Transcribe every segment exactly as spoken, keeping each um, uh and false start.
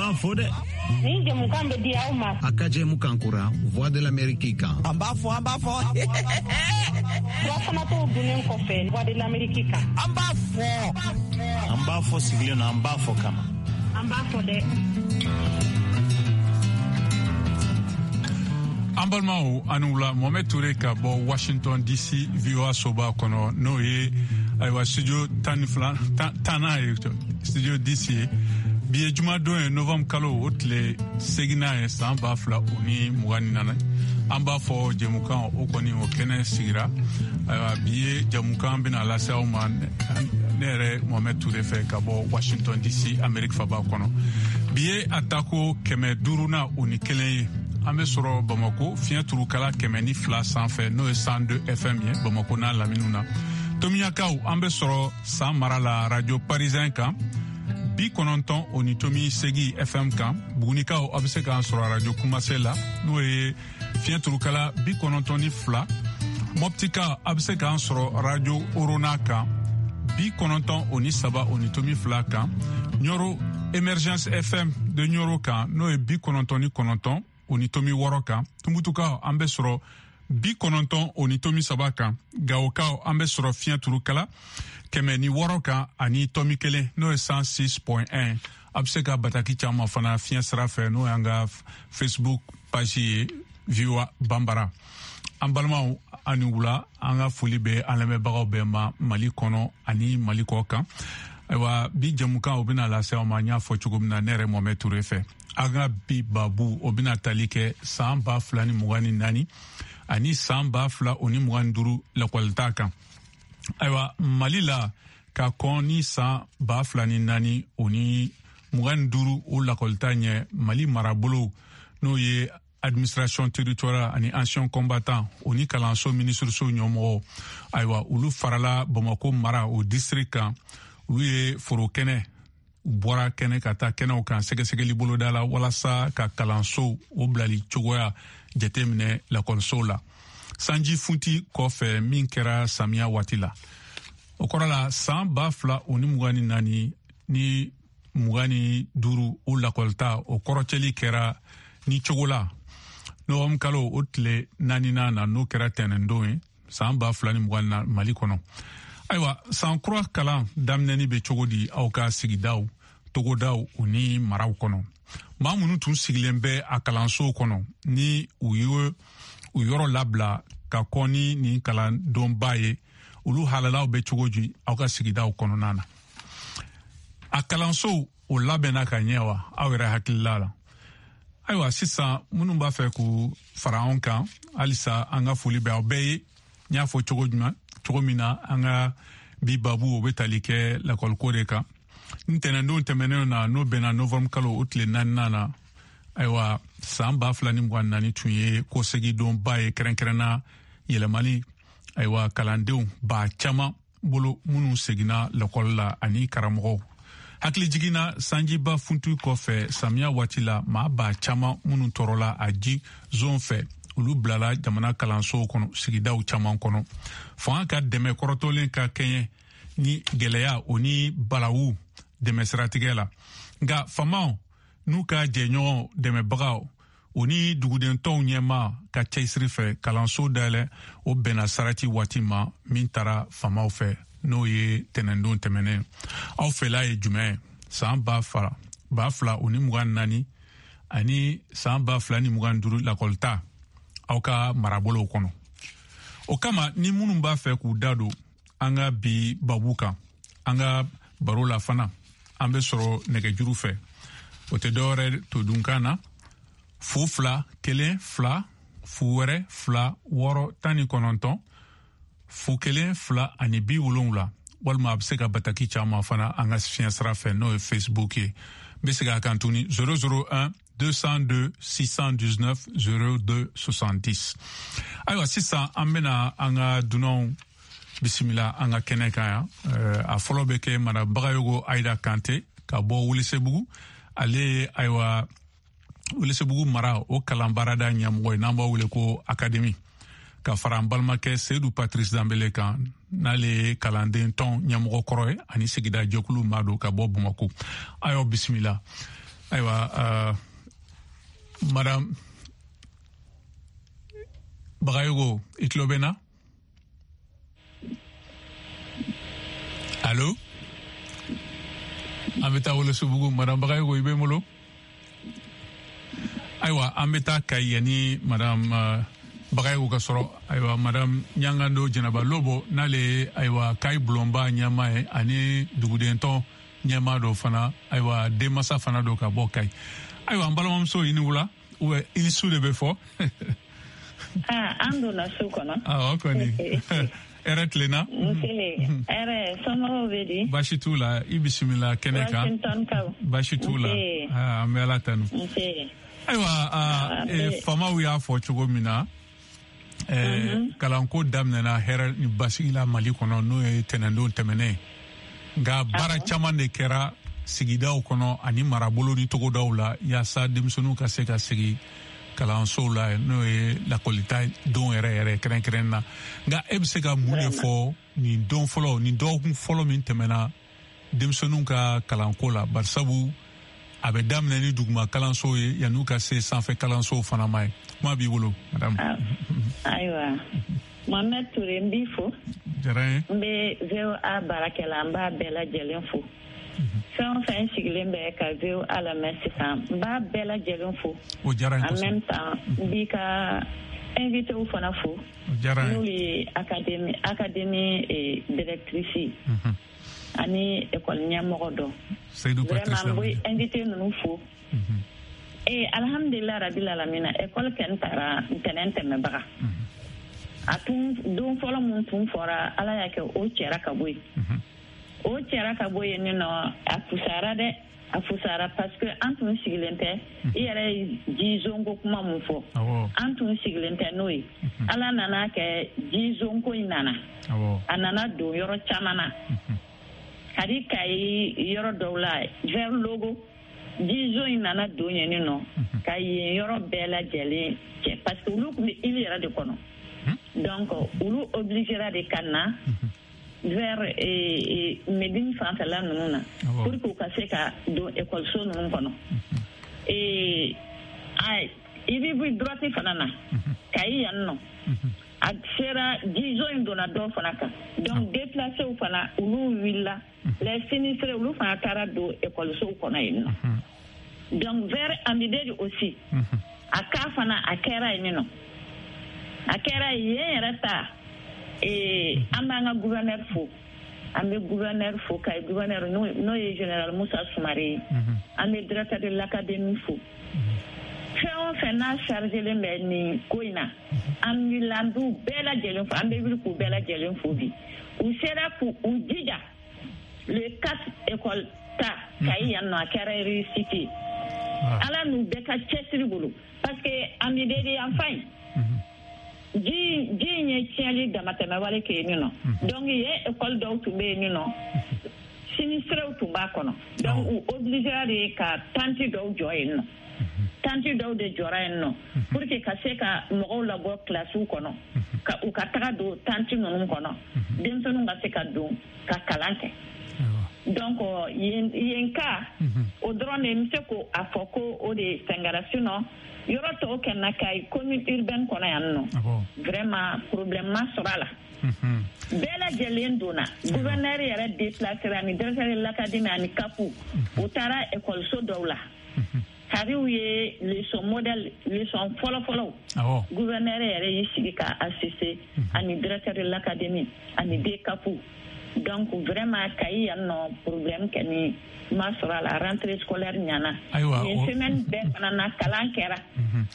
b'an fo dɛ. Nin jɛmukan bɛ di aw ma. A ka jɛmukan kura Voix de l'Amérique kan. An b'a fɔ, an b'a fɔ. Fura dunnen kɔfɛ Voix de l'Amérique kan. An b'a fɔ. An b'a fɔ sigilen na, an b'a fɔ kama. An b'a fɔ dɛ. An balimaw, ani wula. Mohamed Touré ka bɔ Washington D C, V O A soba kɔnɔ, n'o ye ayiwa studio tan ni fila tannan ye, studio D C ye. Bi ye jumadon ye, novembre kalo o tile seginnan ye, san ba fila o ni mugan ni naani. An b'a fɔ jɛmukan o kɔni o kɛnɛ sigira. Ayiwa, bi ye jɛmukan bɛna lase aw ma ne yɛrɛ Mohamed Touré fɛ ka bɔ Washington D C, Amérique faba kɔnɔ. Bi ye a tako kɛmɛ duurunan o ni kelen ye. An bɛ sɔrɔ Bamako fiɲɛ turukala kɛmɛ ni fila sanfɛ, n'o ye cent deux F M ye, Bamako n'a laminiw na. Tomiyakaw, an bɛ sɔrɔ San mara la, Radio Parisien kan, bi kɔnɔntɔn o ni tomi segi F M kan. Bugunikaw, a bɛ se k'an sɔrɔ Radio Kumase la, n'o ye fiɲɛ turukala bi kɔnɔntɔn ni fila. Mɔptika, a bɛ se k'an sɔrɔ Radio Orona kan, bi kɔnɔntɔn o ni saba o ni tomi fila kan. Ɲɔro, Emergence F M de Ɲɔro kan, n'o ye bi kɔnɔntɔn ni kɔnɔntɔn o ni tomi wɔɔrɔ kan. Tumutukaw, an bɛ sɔrɔ bi kɔnɔntɔn o ni tomi saba kan. Gawokaw, an bɛ sɔrɔ fiɲɛ turukala kɛmɛ ni wɔɔrɔ kan ani tɔmi kelen, n'o ye cent six point un. A bɛ se ka bataki caman fana fiɲɛ sira fɛ, n'o y'an ka Facebook page ye, V O A Banbara. An balimaw, ani wula. An ka foli bɛ an lamɛnbagaw bɛɛ ma, Mali kɔnɔ ani Mali kɔ kan. Ayiwa, bi jɛmukan o bɛna lase aw ma, n y'a fɔ cogo min na, ne yɛrɛ Mohamed Touré fɛ. An ka bi babu o bɛna tali kɛ san ba fila ni mugan ni naani ani san ba fila o ni mugan ni duuru lakɔlita kan. Ayiwa, Mali la, ka kɔn ni san ba fila ni naani o ni mugan ni duuru o lakɔlita ɲɛ, Mali marabolo, n'o ye administration territoriale ani ancien combattant o ni kalanso minisiriso ɲɛmɔgɔw, ayiwa, olu farala Bamako mara o district kan. Olu ye foro kɛnɛ, u bɔra kɛnɛ ka taa kɛnɛw kan sɛgɛsɛgɛli boloda la, walasa ka kalansow o bilali cogoya jateminɛ lakɔlisow la sanji funti kɔfɛ min kɛra samiya waati la. O kɔrɔ la, san ba fila o ni mugan ni naani ni mugan ni duuru o lakɔlita o kɔrɔcɛli kɛra ni cogo la nɔgɔm kalo o tile naaninan na, n'o kɛra tɛnɛndon ye, san ba fila ni mugan na Mali kɔnɔ. Ayiwa, san kura kalan daminɛni bɛ cogo di aw ka sigidaw, togodaw o ni maraw kɔnɔ? Maa minnu tun sigilen bɛ a kalansow kɔnɔ, ni u ye u yɔrɔ labila ka kɔn ni nin kalandonba ye, olu halalaw bɛ cogo di aw ka sigidaw kɔnɔna na? A kalansow o labɛnna ka ɲɛ wa, aw yɛrɛ hakilila la? Ayiwa, sisan minnu b'a fɛ k'u fara anw kan halisa, an ka foli bɛ aw bɛɛ ye. N y'a fɔ cogo jumɛn, cogo min na, an ka bi babu o bɛ tali kɛ lakɔliko de kan. Ntɛnɛndon tɛmɛnenw na, n'o bɛnna novembre kalo o tile naaninan na, ayiwa, san ba fila ni mugan naani tun ye kɔsegidonba ye, kɛrɛnkɛrɛnna yɛlɛmali, ayiwa, kalandenw ba caman bolo minnu seginna lakɔli la ani karamɔgɔw. Hakili jiginna sanjiba funti kɔfɛ samiya waati la, maa ba caman minnu tɔɔrɔla a ji zon fɛ, olu bilala jamana kalansow kɔnɔ sigidaw caman kɔnɔ. Fanga ka dɛmɛ kɔrɔtɔlen ka kɛɲɛ ni gɛlɛya o ni balawu dɛmɛ siratigɛ la, nka faamaw n'u ka jɛɲɔgɔn dɛmɛbagaw o ni duguden tɔnw ɲɛma ka cɛsiri fɛ, kalanso dayɛlɛ o bɛnna sarati waati ma min taara faamaw fɛ, n'o ye tɛnɛndon tɛmɛnen. Aw fɛla ye jumɛn ye san ba fila ba fila o ni mugan naani ani san ba fila ni mugan duuru lakɔlita aw ka marabolow kɔnɔ? O kama, ni minnu b'a fɛ k'u da don an ka bi babu kan, an ka baro la fana, an bɛ sɔrɔ nɛgɛjuru fɛ. O tɛ dɔwɛrɛ to dunkan na: fu fila kelen fila fu wɛrɛ fila wɔɔrɔ tan ni kɔnɔntɔn fu kelen fila ani bi wolonwula, walima a bɛ se ka bataki caman fana an ka fiɲɛ sira fɛ, n'o ye Facebook ye. N bɛ segin a kan tuguni: zéro zéro un deux cent deux six cent dix-neuf zéro deux soixante-dix. Ayiwa, sisan an bɛna an ka dunanw bisimila an ka kɛnɛ kan yan. A fɔlɔ bɛ kɛ Madame Bagayogo Ayida Kante ka bɔ Welesebugu. Ale ye, ayiwa, Welesebugu mara o kalan baarada ɲɛmɔgɔ ye, n'an b'a wele ko académie, ka fara an balimakɛ Seyidu Patrice Danbele kan, n'ale ye kalanden tɔn ɲɛmɔgɔ kɔrɔ ye ani sigida jɛkulu maa don, ka bɔ Bamako. A y'aw bisimila. Ayiwa uh, madame Bagayogo, i tulo bɛ n na? Allo? An bɛ taa Welesebugu. Madame Bagayogo, i bɛ n bolo? Ayiwa, an bɛ taa Kayi yanni madame uh, Bagayogo ka sɔrɔ. Ayiwa, madame Ɲangando Jɛnɛba Lobo, n'ale ye ayiwa Kayi bulonba ɲɛmaa ye ani dugudentɔn ɲɛmaa dɔ fana, ayiwa denmansa fana don ka bɔ Kayi. Ayiwa, an balimamuso, i ni wula, ou i ni su de bɛ fɔ. Ah, an donna su kɔnɔ. Awɔ kɔni. Hɛrɛ tilenna. Nse, hɛrɛ, somɔgɔw bɛ di? Baasi t'u la, i bisimila kɛnɛ kan. Washington kaw. Baasi t'u la. An bɛ Ala tanu. Nse. Ayiwa, faamaw y'a fɔ cogo min na, kalanko daminɛna hɛrɛ ni basigi la Mali kɔnɔ, n'o ye tɛnɛndon tɛmɛnen ye. Nka baara caman de kɛra sigidaw kɔnɔ ani marabolo ni togodaw la yaasa denmisɛnninw ka se ka segin kalansow la, n'o ye lakɔlita don yɛrɛ yɛrɛ kɛrɛnkɛrɛn na. Nka e bɛ se ka mun de fɔ nin don fɔlɔ, nin dɔgɔkun fɔlɔ min tɛmɛna denmisɛnninw ka kalanko la, barisabu a bɛ daminɛ ni duguma kalansow ye yan'u ka se sanfɛ kalansow fana ma ye? Kuma b'i bolo, madame. Ayiwa, Mohamed Touré, n b'i fo. Diyara n ye. N bɛ V O A baarakɛla, n b'a bɛɛ lajɛlen fo. Fɛn o fɛn sigilen bɛ ka V O A lamɛn sisan, n b'a bɛɛ lajɛlen fo. O diyara n ye kosɛbɛ. En même temps, n b'i ka invitéw fana fo. O diyara n ye. N'olu ye académie académie directrice ye. Ani école ɲɛmɔgɔ dɔ. Seydou Patrice. Vraiment, n bɛ invité ninnu fo. Ee, alhamdulilah rabil alamina, école kɛn taara ntɛnɛn tɛmɛbaga. A tun don fɔlɔ mun tun fɔra, Ala y'a kɛ o cɛra ka bɔ yen. O cɛra ka bɔ yen nɔ, a fusara dɛ, a fusara parce que an tun sigilen tɛ. I yɛrɛ ye jizonko kuma mun fɔ, an tun sigilen tɛ n'o ye. Ala nana kɛ jizonko in nana, a nana don yɔrɔ caman na. Hali Kayi yɔrɔ dɔw la, vers Logo, jizon in nana don yen nɔ ka yen yɔrɔ bɛɛ lajɛlen cɛ, parce que olu tun bɛ île yɛrɛ de kɔnɔ. Donc olu obligera de ka na vers Médine fanfɛla ninnu na pour que u ka se ka don ekɔliso ninnu kɔnɔ. Ee, i bɛ bɔ droite fana na Kayi yan nɔ, a sera jizon in donna dɔw fana kan. Donc déplacés fana, olu wulila, les sinistrés, olu fana taara don ekɔlisow kɔnɔ yen nɔ. Donc vers Amideli aussi, a cas fana a kɛra yen nɔ, a kɛra yen yɛrɛ ta. Ee, an b'an ka gouverneur fo, an bɛ gouverneur fo, Kayi gouverneur n'o ye général Moussa Soumaré ye. An bɛ directeur de l'académie fo. Fɛn o fɛn n'a chargelen bɛ nin ko in na, an wulila, an b'u bɛɛ lajɛlen fo, an bɛ wuli k'u bɛɛ lajɛlen fo bi. U sera k'u jija le quatre école ta Kayi yan nɔ, a kɛra réussite ye. Ala n'u bɛɛ ka cɛsiri bolo, parce que Amideli yan fan in, ji ji in ye tiɲɛli damatɛmɛwale kɛ yen nɔ. Donc yen école dɔw tun bɛ yen nɔ, sinistrés tun b'a kɔnɔ. Donc u obligera de ka tente dɔw jɔ yen nɔ. Tente dɔw de jɔra yen nɔ pour que ka se ka mɔgɔw labɔ kilasiw kɔnɔ, ka u ka taga don tente ninnu kɔnɔ, denmisɛnninw ka se ka don ka kalan kɛ. Donc yen yen ka o dɔrɔn de n bɛ se ko a fɔ ko o de fɛnkɛra. Sinon yɔrɔ tɔw kɛ na Kayi commune urbaine kɔnɔ yan nɔ, vraiment problème ma sɔrɔ a la. Bɛɛ lajɛlen donna. Gouverneur yɛrɛ déplacera ani directeur de l'académie ani C A P, u taara ekɔliso dɔw la. Hariw ye leçon modèle, leçon fɔlɔ-fɔlɔw, gouverneur yɛrɛ y'i sigi ka assister ani directeur de l'académie ani D C A P. Donc vraiment Kayi yan nɔ, problème kɛni ma sɔrɔ a la, rentrée scolaire ɲana. Nin semaine bɛɛ fana na kalan kɛra,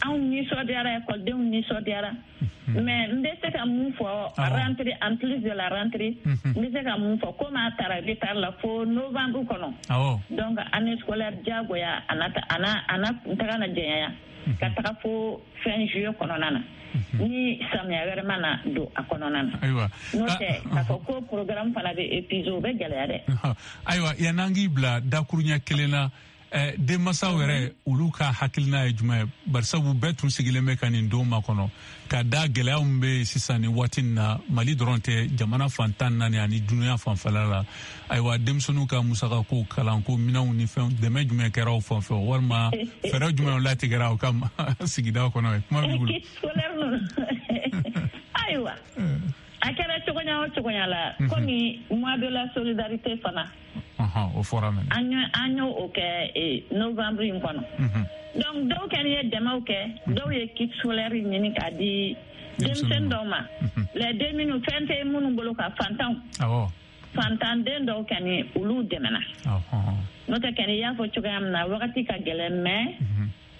anw nisɔndiyara, ekɔlidenw nisɔndiyara. Mais n bɛ se ka mun fɔ rentrée, en plus de la rentrée, n bɛ se ka mun fɔ, komi a taara retard la fo novembre kɔnɔ. Donc année scolaire diyagoya a na a na a na kuntaga na jɛnya ka taga fo fin juillet kɔnɔna na, ni samiya wɛrɛ ma na don a kɔnɔna na. Ayiwa, n'o tɛ k'a fɔ ko programme fana bɛ épuisé, o bɛ gɛlɛya dɛ. Ayiwa, yan'an k'i bila dakuruɲɛ kelen na, Denmansaw yɛrɛ olu ka hakilina ye jumɛn ye? Barisabu bɛɛ tun sigilen bɛ ka nin don makɔnɔ ka da gɛlɛya min bɛ yen sisan nin waati in na, Mali dɔrɔn tɛ, jamana fan tan naani ani dunuya fanfɛla la. Ayiwa, denmisɛnninw ka musakako, kalanko, minɛnw ni fɛnw, dɛmɛ jumɛn kɛra aw fan fɛ, walima fɛɛrɛ jumɛn latigɛra aw ka sigida kɔnɔ? Kuma b'i bolo. Ayiwa, a kɛra cogoya o cogoya la, komi mois de la solidarité fana, o fɔra mɛnɛ, an y'o o kɛ novembre in kɔnɔ. Donc dɔw kɛni ye dɛmɛw kɛ, dɔw ye kit scolaire ɲini k'a di denmisɛnnin dɔw ma, les den minnu fɛn tɛ minnu bolo, ka fantanw, fantanden dɔw kɛni olu dɛmɛna. N'o tɛ kɛni, i y'a fɔ cogoya min na, wagati ka gɛlɛn, mais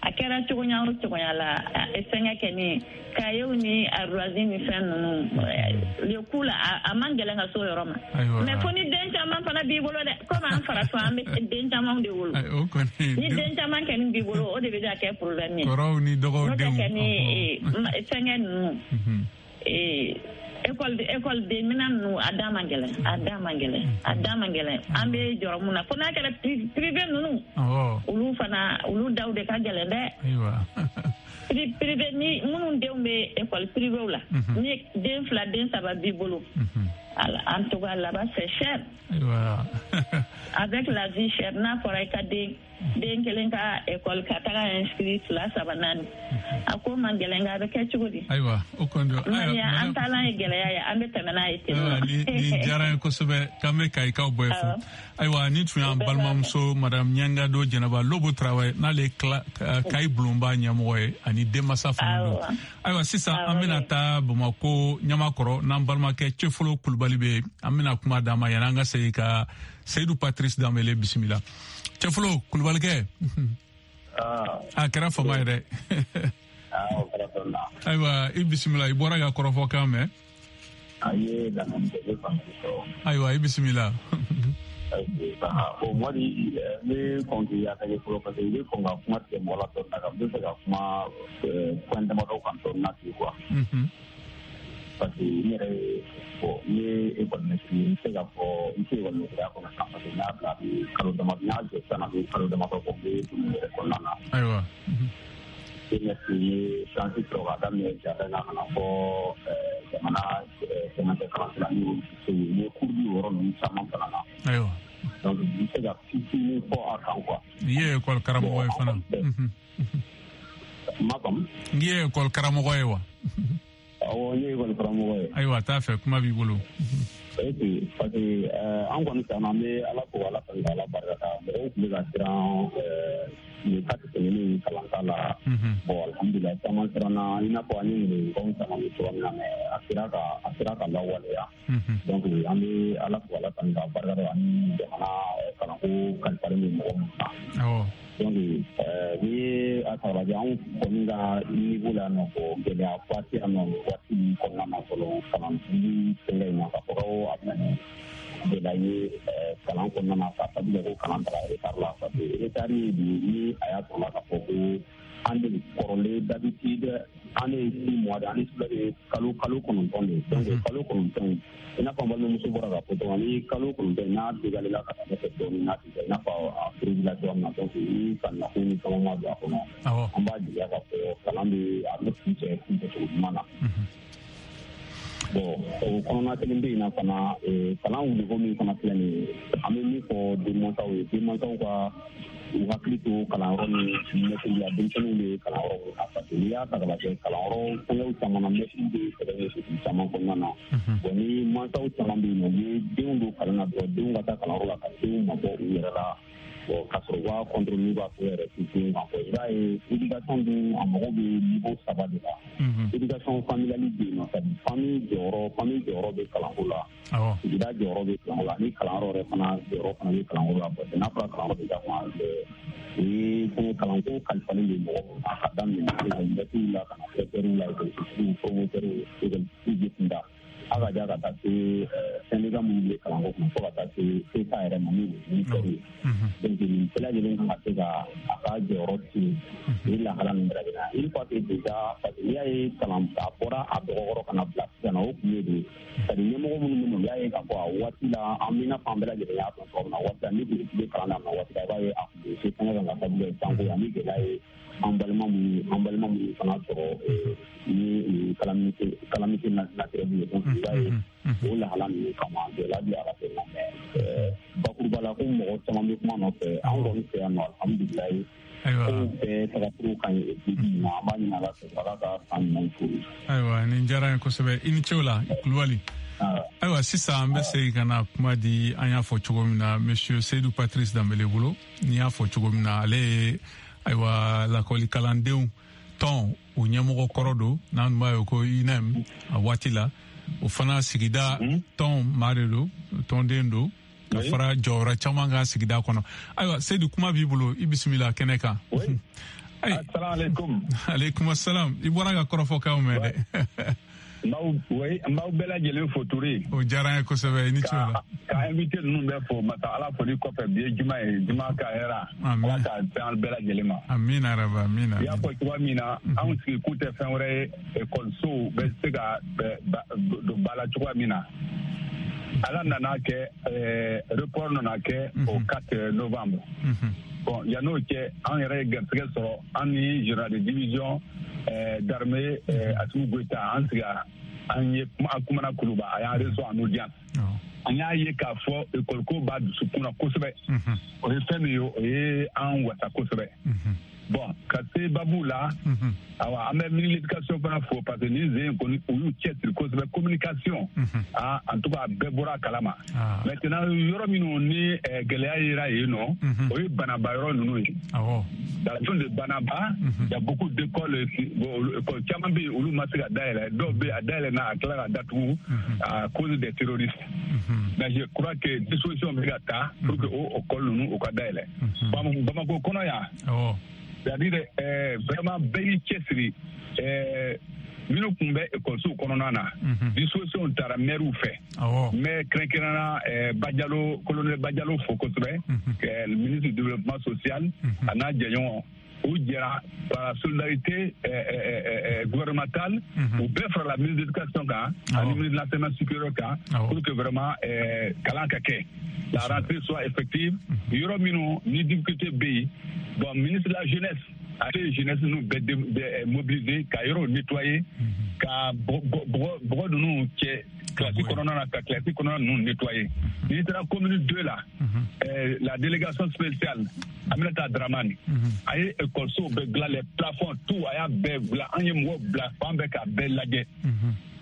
a kɛra cogoya o cogoya la, fɛnkɛ kɛni, kayew ni ardoise ni fɛn ninnu, le coup la, a man gɛlɛn ka s'o yɔrɔ ma. Mais fo ni den caman fana b'i bolo dɛ, komi an farafin an bɛ den caman de wolo. Ni den caman kɛni b'i bolo, o de bɛ ka kɛ problème ye. Kɔrɔw ni dɔgɔw denw. N'o tɛ kɛni, fɛnkɛ ninnu, école école den minɛn ninnu, a da man gɛlɛn, a da man gɛlɛn, a da man gɛlɛn. An bɛ jɔrɔ mun na, fo n'a kɛra privé ninnu, olu fana, olu daw de ka gɛlɛn dɛ. Privé ni minnu denw bɛ école privé la, ni den fila den saba b'i bolo, en tout cas là-bas c'est cher. Avec la vie chère, n'a fɔra i ka den den kelen ka école ka taga inscrit fila saba naani, a ko man gɛlɛn, nka a bɛ kɛ cogo di? Ayiwa, o kɔni don. Ayiwa, an taalan ye gɛlɛya ye, an bɛ tɛmɛ n'a ye ten. Nin diyara n ye kosɛbɛ, k'an bɛ Kayikaw bɛɛ fo. Ayiwa, nin tun y'an balimamuso madame Ɲangado Jɛnɛba Lobo Tarawele, n'ale ye Kayi bulonba ɲɛmɔgɔ ye ani denmansa fana don. Ayiwa, sisan an bɛna taa Bamakɔ Ɲamakɔrɔ, n'an balimakɛ Cɛfolo Kulubali bɛ yen. An bɛna kuma d'a ma yanni an ka segin ka Seydou Patrice Danbele bisimila. Cɛfolo Kulubalikɛ, a kɛra fama ye dɛ. Ayiwa, i bisimila, i bɔra ka kɔrɔfɔ kan mɛn. Ayiwa, i bisimila. Bon, Mɔdi, n bɛ kɔn k'i attaquer fɔlɔ, parce que i bɛ kɔn ka kuma tigɛ mɔgɔ la dɔɔnin na, n bɛ fɛ ka kuma point damadɔ kan dɔɔnin na ten quoi. Parce que n yɛrɛ, bon, n ye école maître ye, n bɛ se k'a fɔ n tɛ école maîtreya kɔnɔ sisan, parce que n y'a bila a bɛ kalo damadɔ, n y'a jɔ sisan a bɛ kalo damadɔ bɔ, n bɛ dumuni yɛrɛ kɔnɔna na. Ayiwa. Maître ye chance sɔrɔ k'a daminɛ jardin na ka na fɔ jamana cɛmancɛ kalanso la, n ye cours di o yɔrɔ ninnu caman fana na. Ayiwa. Donc n bɛ se ka fitinin fɔ a kan quoi. I ye école karamɔgɔ ye fana. Ma faamu. N ye école karamɔgɔ ye wa? Awɔ, n ye école karamɔgɔ ye. Ayiwa, t'a fɛ, kuma b'i bolo. Ok, parce que an kɔni san an bɛ Ala fo, Ala tanu, Ala barika da. Mɔgɔw tun bɛ ka siran nin kati tɛmɛnen kalanka la. Bon, alhamdulilayi, caman siranna, i n'a fɔ an ye ɲininkaliw caman bɛ cogoya min na, mais a sera ka a sera ka lawaleya. Donc an bɛ Ala fo, Ala tanu, k'a barika da, ani jamana kalanko kalifalen bɛ mɔgɔ minnu na. Donc n'i ye a ta k'a lajɛ, anw kɔni ka niveau la nɔ, gɛlɛyaba tɛ yan nɔ nin waati in kɔnɔna na fɔlɔ, kalantigi fɛngɛ in na, k'a fɔ ko a bɛna ni gɛlɛya ye kalan kɔnɔna na, k'a sabu kɛ ko kalan taara retard la. Parce que retard ye bi, ni a y'a sɔrɔ la k'a fɔ ko an de kɔrɔlen d'habitude, an ye six mois de, an ye de kalo kalo kɔnɔntɔn de. Donc kalo kɔnɔntɔn, i n'a fɔ an balimamuso bɔra k'a fɔ cogo min, ni kalo kɔnɔntɔn n'a dégalé la ka taa ɲɛfɛ dɔɔnin, n'a ti kɛ i n'a fɔ a prévu la cogoya min na. Donc ni sannikako ni caman ma don a kɔnɔ, an b'a jigiya k'a fɔ kalan bɛ a bɛ kuncɛ kuncɛcogo ɲuman na. Bon, o kɔnɔna kelen bɛ yen na fana, kalan wuliko min fana filɛ nin ye, an bɛ min fɔ denmansaw ye, denmansaw ka u hakili to kalanyɔrɔ ni mɛtiri la, denmisɛnninw bɛ kalanyɔrɔ min na, parce que n'i y'a ta k'a lajɛ, kalanyɔrɔ fɛngɛw caman na, mɛtiri bɛ sɛbɛn ɲɛsin caman kɔnɔna na. Bon, ni mansaw caman bɛ yen nɔ, u ye denw don kalan na dɔrɔn, denw ka taa kalanyɔrɔ la ka denw mabɔ u yɛrɛ la, bon, ka sɔrɔ u b'a contrôle n'u b'a fɔ yɛrɛ denw kan. I b'a ye éducation dun, a mago bɛ niveau saba de la. Éducation familiale bɛ yen nɔ, c'est à dire famille jɔyɔrɔ, famille jɔyɔrɔ bɛ kalanko la, sigida jɔyɔrɔ bɛ kalanko la, ni kalanyɔrɔ yɛrɛ fana jɔyɔrɔ fana bɛ kalanko la. Parce que n'a fɔra kalanyɔrɔ bɛ ka kuma, o ye fɛn kalanko kalifalen bɛ mɔgɔ min na, ka daminɛ mɛtiriw la ka na directeur la, école promoteurs, école kunda, A ka ja ka taa se syndicat minnu bɛ kalanko kunna fo ka taa se C E S A yɛrɛ ma min ye ministère ye. Donc nin bɛɛ lajɛlen kan ka se ka a ka jɔyɔrɔ tin nin lahala ninnu bɛɛ lajɛlen na. Une fois que déjà, parce que n'i y'a ye kalan a bɔra a dɔgɔkɔrɔ ka na bila sisan na, o kun ye de c'est à dire ɲɛmɔgɔ minnu bɛ yen, u y'a ye k'a fɔ a waati la, an bɛ i n'a fɔ an bɛɛ lajɛlen y'a dɔn cogo min na, waati la ni dugutigi bɛ kalan daminɛ waati la, i b'a ye a kun bɛ se fɛngɛ kan ka sababu kɛ sanko ani gɛlɛya ye an balima minnu an balima minnu fana sɔrɔ ni calamité calamité naturelle ye. Donc i b'a ye o lahala ninnu kama gɛlɛya bɛ a la fɛn na, mais bakuruba la ko mɔgɔ caman bɛ kuma nɔfɛ, an kɔni fɛ yan nɔ, alhamdulilayi, kow bɛɛ tagacogo ka ɲi bi bi in na. An b'a ɲini Ala fɛ, Ala ka san ɲuman furu. Ayiwa, nin diyara n ye kosɛbɛ, i ni ce o la, Kulubali. Ayiwa, sisan an bɛ segin ka na kuma di, an y'a fɔ cogo min na, monsieur Seydou Patrice Danbele bolo. N'i y'a fɔ cogo min na, ale ye ayiwa lakɔlikalandenw tɔn o ɲɛmɔgɔ kɔrɔ don, n'an tun b'a ye ko U N E M a waati la, o fana sigida tɔn maa de don, tɔnden don, ka fara jɔyɔrɔ caman kan sigida kɔnɔ. Ayiwa Seydou, kuma b'i bolo, i bisimila kɛnɛ kan. Asalaamaaleykum. Aleykum asalaam. I bɔra ka kɔrɔfɔkanw mɛn dɛ. N b'aw bɛɛ lajɛlen fo Toure. O diyara n ye kosɛbɛ, i ni ce o la. Ka invité ninnu bɛɛ fo, masa Ala foli kɔfɛ, bi ye juma ye, juma ka hɛrɛ. Ala k'a bɛn an bɛɛ lajɛlen ma. Amiina rabi, amiina. I y'a fɔ cogoya min na, anw sigi kun tɛ fɛn wɛrɛ ye, ekɔlisow bɛ se ka don ba la cogoya min na. Ala nana kɛ report nana kɛ au quatre novembre. Bon, yan'o cɛ, an yɛrɛ ye garisɛgɛ sɔrɔ, an ni général de division d'armée Assimi Goïta, an sigira, an ye an kumana Kuluba, a y'an reçoit en audience. An y'a ye k'a fɔ école ko b'a dusukun na kosɛbɛ. O ye fɛn min ye, o ye an wasa kosɛbɛ. Bon, ka se babu la, awa an bɛ ministre de l'éducation fana fo, parce que nin sen in kɔni u y'u cɛsiri kosɛbɛ communication. Ah, en tout cas a bɛɛ bɔra a kalama. Maintenant yɔrɔ minnu ni gɛlɛya yera yen nɔ, o ye Banaba yɔrɔ ninnu ye. Dans la zone de Banaba, il y a beaucoup d'écoles, écoles caman bɛ yen, olu ma se ka dayɛlɛ, dɔw bɛ yen a dayɛlɛ na a tila ka datugu à cause des terroristes. Mais je crois que disposition bɛ ka ta pour que o école ninnu u ka dayɛlɛ. Bamako kɔnɔ yan, c'est-à-dire euh, vraiment bɛɛ y'i cɛsiri, minnu tun bɛ ekɔlisow kɔnɔna na, disposition taara maires fɛ. N bɛ kɛrɛnkɛrɛnnenya Badialo, colonel Badialo fo kosɛbɛ, ministre du développement social, a n'a jɛɲɔgɔn, u jɛra par solidarité gouvernementale, u bɛɛ farala ministre de l'éducation kan ani ministre de l'enseignement supérieur kan, pour que vraiment kalan ka kɛ, la rentrée soit effective. Yɔrɔ minnu ni difficulté bɛ yen, bon, ministre de la jeunesse ale ye jeunesse ninnu bɛɛ mobiliser ka yɔrɔw nettoyer, ka bɔgɔ ninnu cɛ classe kɔnɔna na, ka classe kɔnɔna ninnu nettoyer. N'i taara commune deux la, la délégation spéciale Aminata Dramane, a ye école-so bɛɛ dilan, les plafonds tout a y'a bɛɛ dilan, an ye mɔgɔw bila fan bɛɛ k'a bɛɛ lajɛ.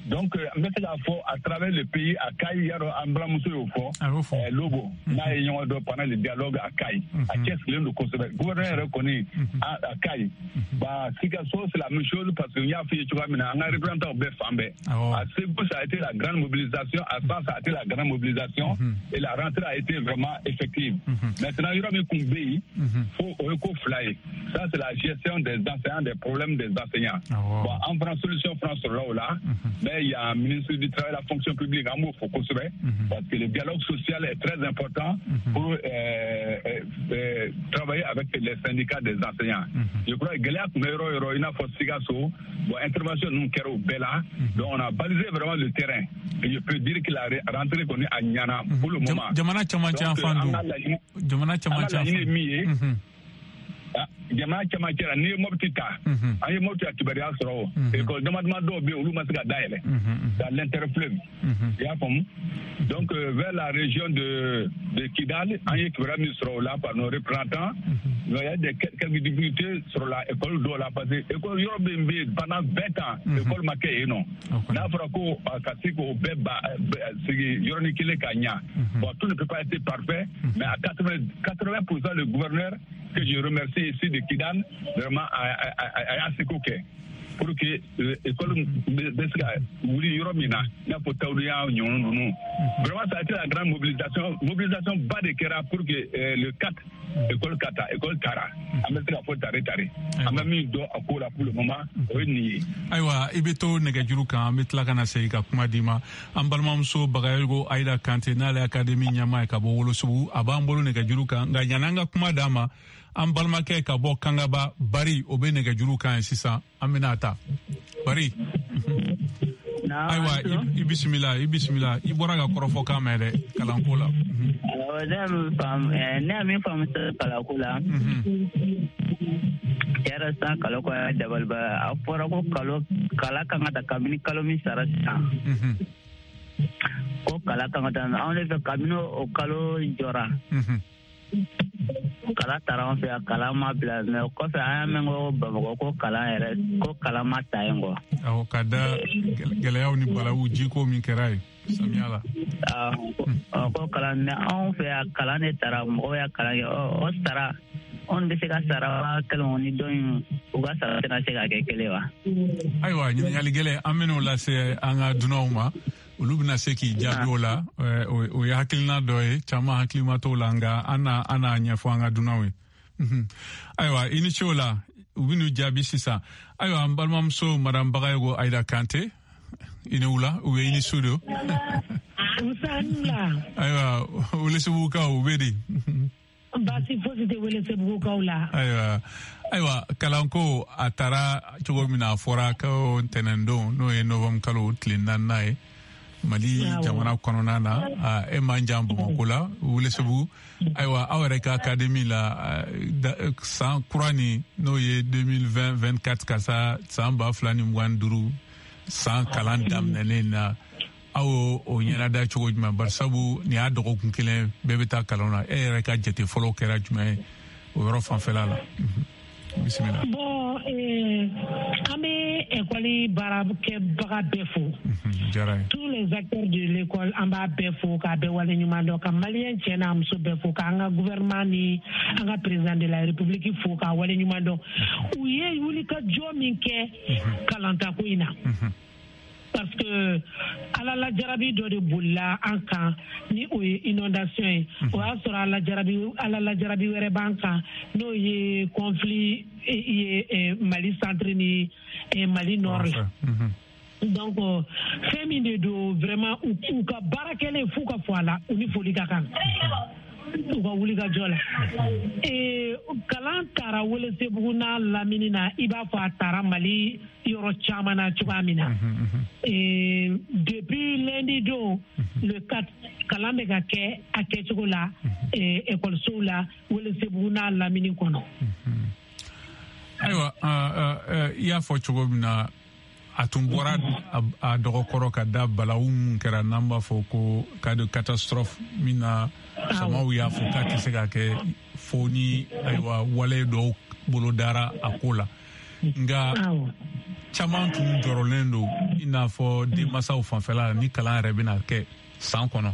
Donc n bɛ se k'a fɔ à travers le pays, a Kayi, y'a dɔn an balimamuso y'o fɔ, Lobo n'a ye ɲɔgɔn dɔn pendant le dialogue à Kayi, a cɛsirilen don kosɛbɛ. Gouverneur yɛrɛ kɔni a Kayi, bah Sikasso c'est la même chose, parce que n y'a f'i ye cogoya min na, an ka représentants bɛɛ fan bɛɛ. À Ségou ça a été la grande mobilisation, à San ça a été la grande mobilisation, et la rentrée a été vraiment effective. Maintenant yɔrɔ min kun bɛ yen, fo o ye ko fila ye, ça c'est la gestion des enseignants, des problèmes des enseignants. Bon, an fana solution fana sɔrɔla o la. Mais il y a un ministre du Travail et de la fonction publique, an b'o fo kosɛbɛ, parce que le dialogue social est très important pour euh, euh, travailler avec les syndicats des enseignants. Je crois que gɛlɛya tun bɛ yɔrɔ o yɔrɔ, i n'a fɔ Sikaso, bon, intervention ninnu kɛra o bɛɛ la. Donc on a balisé vraiment le terrain. Et je peux dire que la rentrée kɔni a ɲana pour le moment. Jamana camancɛ yan fan don. Jamana camancɛ yan fan. An ka laɲini ye min ye, jamana camancɛ la, n'i ye Mopti ta, an ye Mopti a kibaruya sɔrɔ o école dama dama dɔw bɛ yen, olu ma se ka dayɛlɛ dans l'interfleuve, i y'a faamu. Donc vers la région de de Kidal, an ye kibaruya min sɔrɔ o la par nos représentants, il y a des quelques difficultés sur la école dɔw la, parce que école yɔrɔ min bɛ yen pendant vingt ans école ma kɛ yen nɔ, n'a fɔra ko ka se k'o bɛɛ ba sigi yɔrɔnin kelen ka ɲa, bon, tout ne peut pas être parfait, mais à quatre-vingts pour cent le gouverneur, que je remercie ici de Kidal, vraiment a y'a seko kɛ pour que école bɛ se ka wuli yɔrɔ min na, i n'a fɔ Tawudiya ɲɔgɔn ninnu. Vraiment, ça a été la grande mobilisation, mobilisation ba de kɛra pour que le quatre école ka ta, école taara. An bɛ se ka fɔ tare tare. An bɛ min dɔn a ko la pour le moment, o ye nin ye. Ayiwa, i bɛ to nɛgɛjuru kan, an bɛ tila ka na segin ka kuma d'i ma. An balimamuso Bagayogo Ayida Kante, n'ale ye académie ɲɛmaa ye ka bɔ Wolosobugu, a b'an bolo nɛgɛjuru kan. Nka yan'an ka kuma d'a ma, an balimakɛ ka bɔ Kangaba, Bari, o bɛ nɛgɛjuru kan ye sisan, an bɛna ta. Bari, ayiwa, i bisimila, i bisimila. I bɔra ka kɔrɔfɔ kan mɛn dɛ kalanko la. Ne ye min faamu kalanko la, yɛrɛ san kalo ko dabaliba, a fɔra ko kalo kala kan ka ta kabini kalo min sara sisan, ko kala kan ka ta anw de fɛ kabini o kalo jɔra. Kala taara an fɛ yan, kalan ma bila, mɛ o kɔfɛ an y'a mɛn ko Bamakɔ ko kalan yɛrɛ ko kalan ma ta yen kɔ. Awɔ, ka da gɛlɛyaw ni balawu jiko min kɛra yen samiya la. Awɔ, ko kalan, mɛ anw fɛ yan kalan de taara, mɔgɔw y'a kalan kɛ, o sara anw bɛ se ka sara waa kelen ni dɔ in, u ka sara tɛna se ka kɛ kelen wa. Ayiwa, ɲininkali gɛlɛn, an bɛn'o lase an ka dunanw ma. Olu bɛna se k'i jaabi o la. O ye hakilina dɔ ye, caman hakilima t'o la, nka an n'a an n'a ɲɛfɔ an ka dunanw ye. Ayiwa, i ni ce o la, u bɛn'u jaabi sisan. Ayiwa, an balimamuso Madame Bagayogo Ayida Kante, i ni wula, u bɛ i ni su don. Ayiwa, Welesebugukaw u bɛ di? Baasi fosi tɛ Welesebugukaw la. Ayiwa, ayiwa, kalanko a taara cogo min na, a fɔra ko ntɛnɛndon, n'o ye novembre kalo tile naaninan ye, Mali jamana kɔnɔna na, e man jan Bamakɔ la, Welesebugu. Ayiwa, aw yɛrɛ ka académie la, san kura nin, n'o ye deux mille vingt vingt-quatre ka sa san ba fila ni mugan ni duuru san kalan daminɛlen na, aw o ɲɛnada cogo jumɛn? Barisabu nin y'a dɔgɔkun kelen bɛɛ bɛ taa kalan na, e yɛrɛ ka jate fɔlɔ kɛra jumɛn ye o yɔrɔ fanfɛla la? Bisimila. Bon, eh, an bɛ école baarakɛbaga bɛɛ fo. Diyara ye. Tous les acteurs de l'école, an b'a bɛɛ fo k'a bɛɛ waleɲuman dɔn, ka maliyɛn cɛ n'a muso bɛɛ fo, k'an ka gouvernement ni an ka président de la république fo k'a waleɲuman dɔn. U ye wulikajɔ min kɛ kalantako in na. Parce que ala la jarabi dɔ de bolila an kan, ni o ye inondation ye. O y'a sɔrɔ ala jarabi ala la jarabi wɛrɛ b'an kan, n'o ye conflit ye Mali centre ni Mali nord la. Donc fɛn min de don, vraiment u ka baara kɛlen f'u ka fɔ a la, u ni foli ka kan u ka wuli ka jɔ la. Ee, kalan taara Welesebugu n'a lamini na, i b'a fɔ a taara Mali yɔrɔ caman na cogoya min na. Ee, depuis lundi don le quatre, kalan bɛ ka kɛ a kɛcogo la ekɔlisow la Welesebugu n'a lamini kɔnɔ. Ayiwa, i y'a fɔ cogo min na, a tun bɔra a dɔgɔkɔrɔ ka da balawu mun kɛra, n'an b'a fɔ ko cas de catastrophe min na, faamaw y'a fɔ k'a tɛ se ka kɛ fo ni ayiwa wale dɔw bolo dara a ko la. Nka caman tun jɔrɔlen don, i n'a fɔ denmansaw fanfɛla la, ni kalan yɛrɛ bɛna kɛ san kɔnɔ.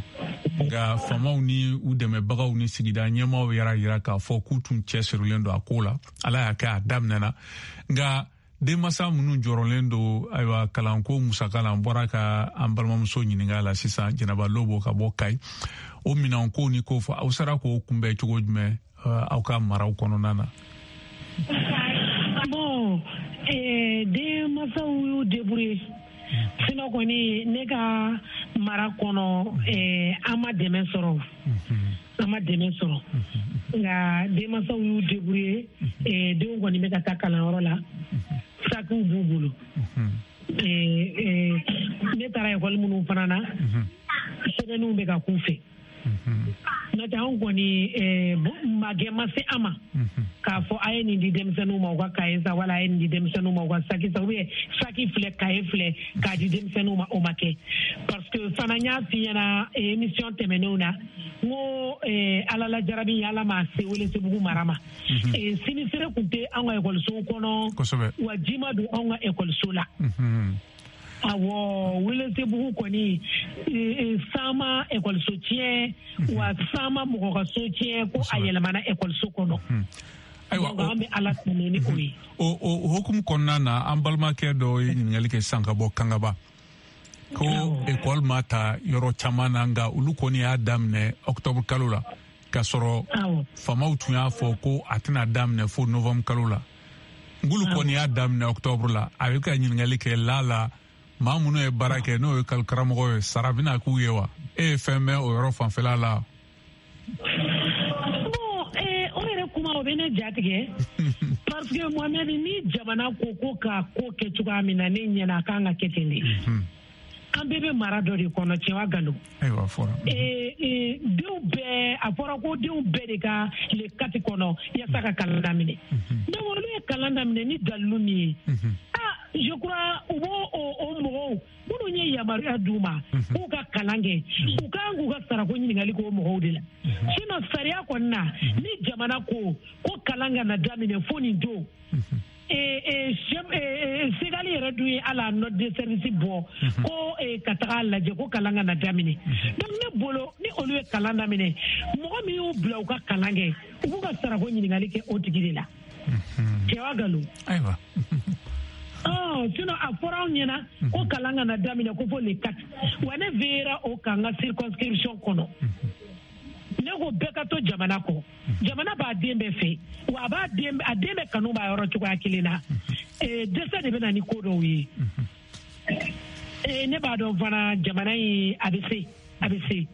Nka faamaw ni u dɛmɛbagaw ni sigida ɲɛmaaw yɛrɛ yira k'a fɔ k'u tun cɛsirilen don a ko la. Ala y'a kɛ a daminɛna. Nka denmansa minnu jɔrɔlen don ayiwa kalanko musaka la, an bɔra ka an balimamuso ɲininka la sisan, Jɛnɛba Lobo ka bɔ Kayi, o minɛnko ni ko fɔ, aw sera k'o kunbɛn cogo jumɛn aw ka maraw kɔnɔna na? Bon, eh, denmansaw y'u débrouiller. Sinon kɔni ne ka mara kɔnɔ, eh, an ma dɛmɛ sɔrɔ. An ma dɛmɛ sɔrɔ. Nka denmansaw y'u débrouiller, eh, denw kɔni bɛ ka taa kalanyɔrɔ la. Sakiw b'u bolo. Ne taara ekɔli minnu fana na, sɛbɛnniw bɛ ka k'u fɛ. N'o tɛ anw kɔni magɛ ma se an ma k'a fɔ a ye nin di denmisɛnninw ma u ka kaye san, wala a ye nin di denmisɛnninw ma u ka saki san, ou bien saki filɛ kaye filɛ k'a di denmisɛnninw ma, o ma kɛ. Parce que fana n y'a f'i ɲɛna émission tɛmɛnenw na, n ko Ala la jarabi Ala ma se Welesebugu mara ma. Sinisere tun tɛ an ka ekɔlisow kɔnɔ, wa ji ma don anw ka ekɔliso la. Awɔ, Welesebugu kɔni san ma ekɔliso tiɲɛ, wa san ma mɔgɔ ka so tiɲɛ ko a yɛlɛmana ekɔliso kɔnɔ. Ayiwa, an bɛ Ala tanu ni o ye. O o hukumu kɔnɔna na, an balimakɛ dɔ ye ɲininkali kɛ sisan ka bɔ Kangaba, ko ekɔli ma ta yɔrɔ caman na, nka olu kɔni y'a daminɛ octobre kalo la, k'a sɔrɔ faamaw tun y'a fɔ ko a tɛna daminɛ fo novembre kalo la. Ngulu kɔni y'a daminɛ octobre la. A bɛ ka ɲininkali kɛ la la maa minnu ye baara kɛ, n'o ye karamɔgɔ ye, sara bɛna k'u ye wa? E ye fɛn mɛn o yɔrɔ fanfɛla la? Bon, eh, o yɛrɛ kuma o bɛ ne jatigɛ, parce que Mohamed, ni jamana ko ko ka ko kɛ cogoya min na, ne ɲɛna a kan ka kɛ ten de. An bɛɛ bɛ mara dɔ de kɔnɔ, tiɲɛ wa nkalon? Ayiwa, fɔra. Ee, denw bɛɛ, a fɔra ko denw bɛɛ de ka le quatre kɔnɔ yaasa ka kalan daminɛ. Donc olu ye kalan daminɛ ni dalilu min ye, ah, je crois u b'o o mɔgɔw minnu ye yamaruya d'u ma k'u ka kalan kɛ, u kan k'u ka sarako ɲininkali k'o mɔgɔw de la. Sinon sariya kɔni na, ni jamana ko ko kalan kana daminɛ fo nin don, Segali yɛrɛ dun ye ala note de service bɔ ko ka taga lajɛ ko kalan kana daminɛ. Donc ne bolo, ni olu ye kalan daminɛ, mɔgɔ min y'u bila u ka kalan kɛ, u b'u ka sarako ɲininkali kɛ o tigi de la. Cɛ wa nkalon? Ayiwa. Sinon a fɔra anw ɲɛna ko kalan kana daminɛ ko fo le quatre. Wa ne veillera o kan n ka circonscription kɔnɔ. Ne ko bɛɛ ka to jamana kɔ. Jamana b'a den bɛɛ fɛ, wa a b'a den, a den bɛɛ kanu b'a yɔrɔ cogoya kelen na. Dɛsɛ de bɛ na ni ko dɔw ye. Ne b'a dɔn fana jamana in a bɛ se, a bɛ se.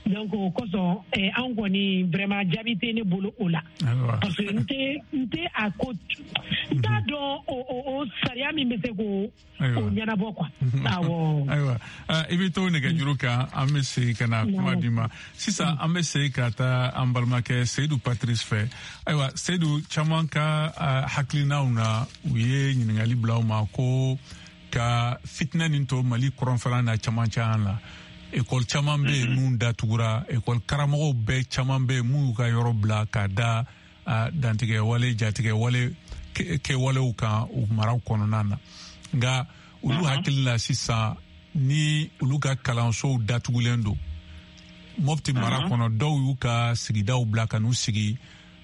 Donc o kosɔn anw kɔni vraiment jaabi tɛ ne bolo o la, parce que n tɛ n tɛ a ko n t'a dɔn o o sariya min bɛ se k'o o ɲɛnabɔ quoi. Awɔ. Ayiwa, i bɛ to nɛgɛjuru kan, an bɛ segin ka na kuma d'i ma sisan. An bɛ segin ka taa an balimakɛ Seydou Patrice fɛ. Ayiwa Seydou, caman ka hakilinaw na, u ye ɲininkali bila u ma ko ka fitinɛ nin to Mali kɔrɔnfɛla na camancɛ an la. Ekɔli caman bɛ yen mun datugura, ekɔli karamɔgɔw bɛɛ caman bɛ yen mun y'u ka yɔrɔ bila ka da dantigɛ wale, jatigɛ wale kɛwalew kan u maraw kɔnɔna na. Nka olu hakili la sisan, ni olu ka kalansow datugulen don Mopti mara kɔnɔ, dɔw y'u ka sigidaw bila ka n'u sigi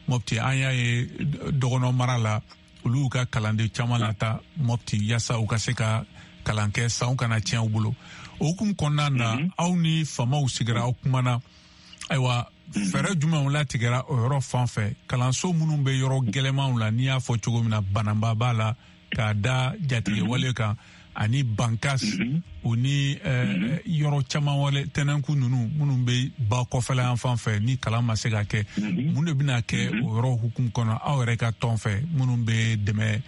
Mopti. An y'a ye dɔgɔnɔ mara la, olu y'u ka kalanden caman lata Mopti yaasa u ka se ka kalan kɛ, sanw kana tiɲɛ u bolo. O hukumu kɔnɔna na, aw ni faamaw sigira, aw kumana. Ayiwa, fɛɛrɛ jumɛnw latigɛra o yɔrɔ fan fɛ? Kalanso minnu bɛ yɔrɔ gɛlɛmanw la, n'i y'a fɔ cogo min na, Bananba b'a la k'a da jatigɛwale kan, ani Bankas, o ni yɔrɔ caman wale tɛnɛnku ninnu minnu bɛ ba kɔfɛla yan fan fɛ, ni kalan ma se ka kɛ, mun de bɛna kɛ o yɔrɔ hukumu kɔnɔ aw yɛrɛ ka tɔn fɛ, minnu bɛ dɛmɛ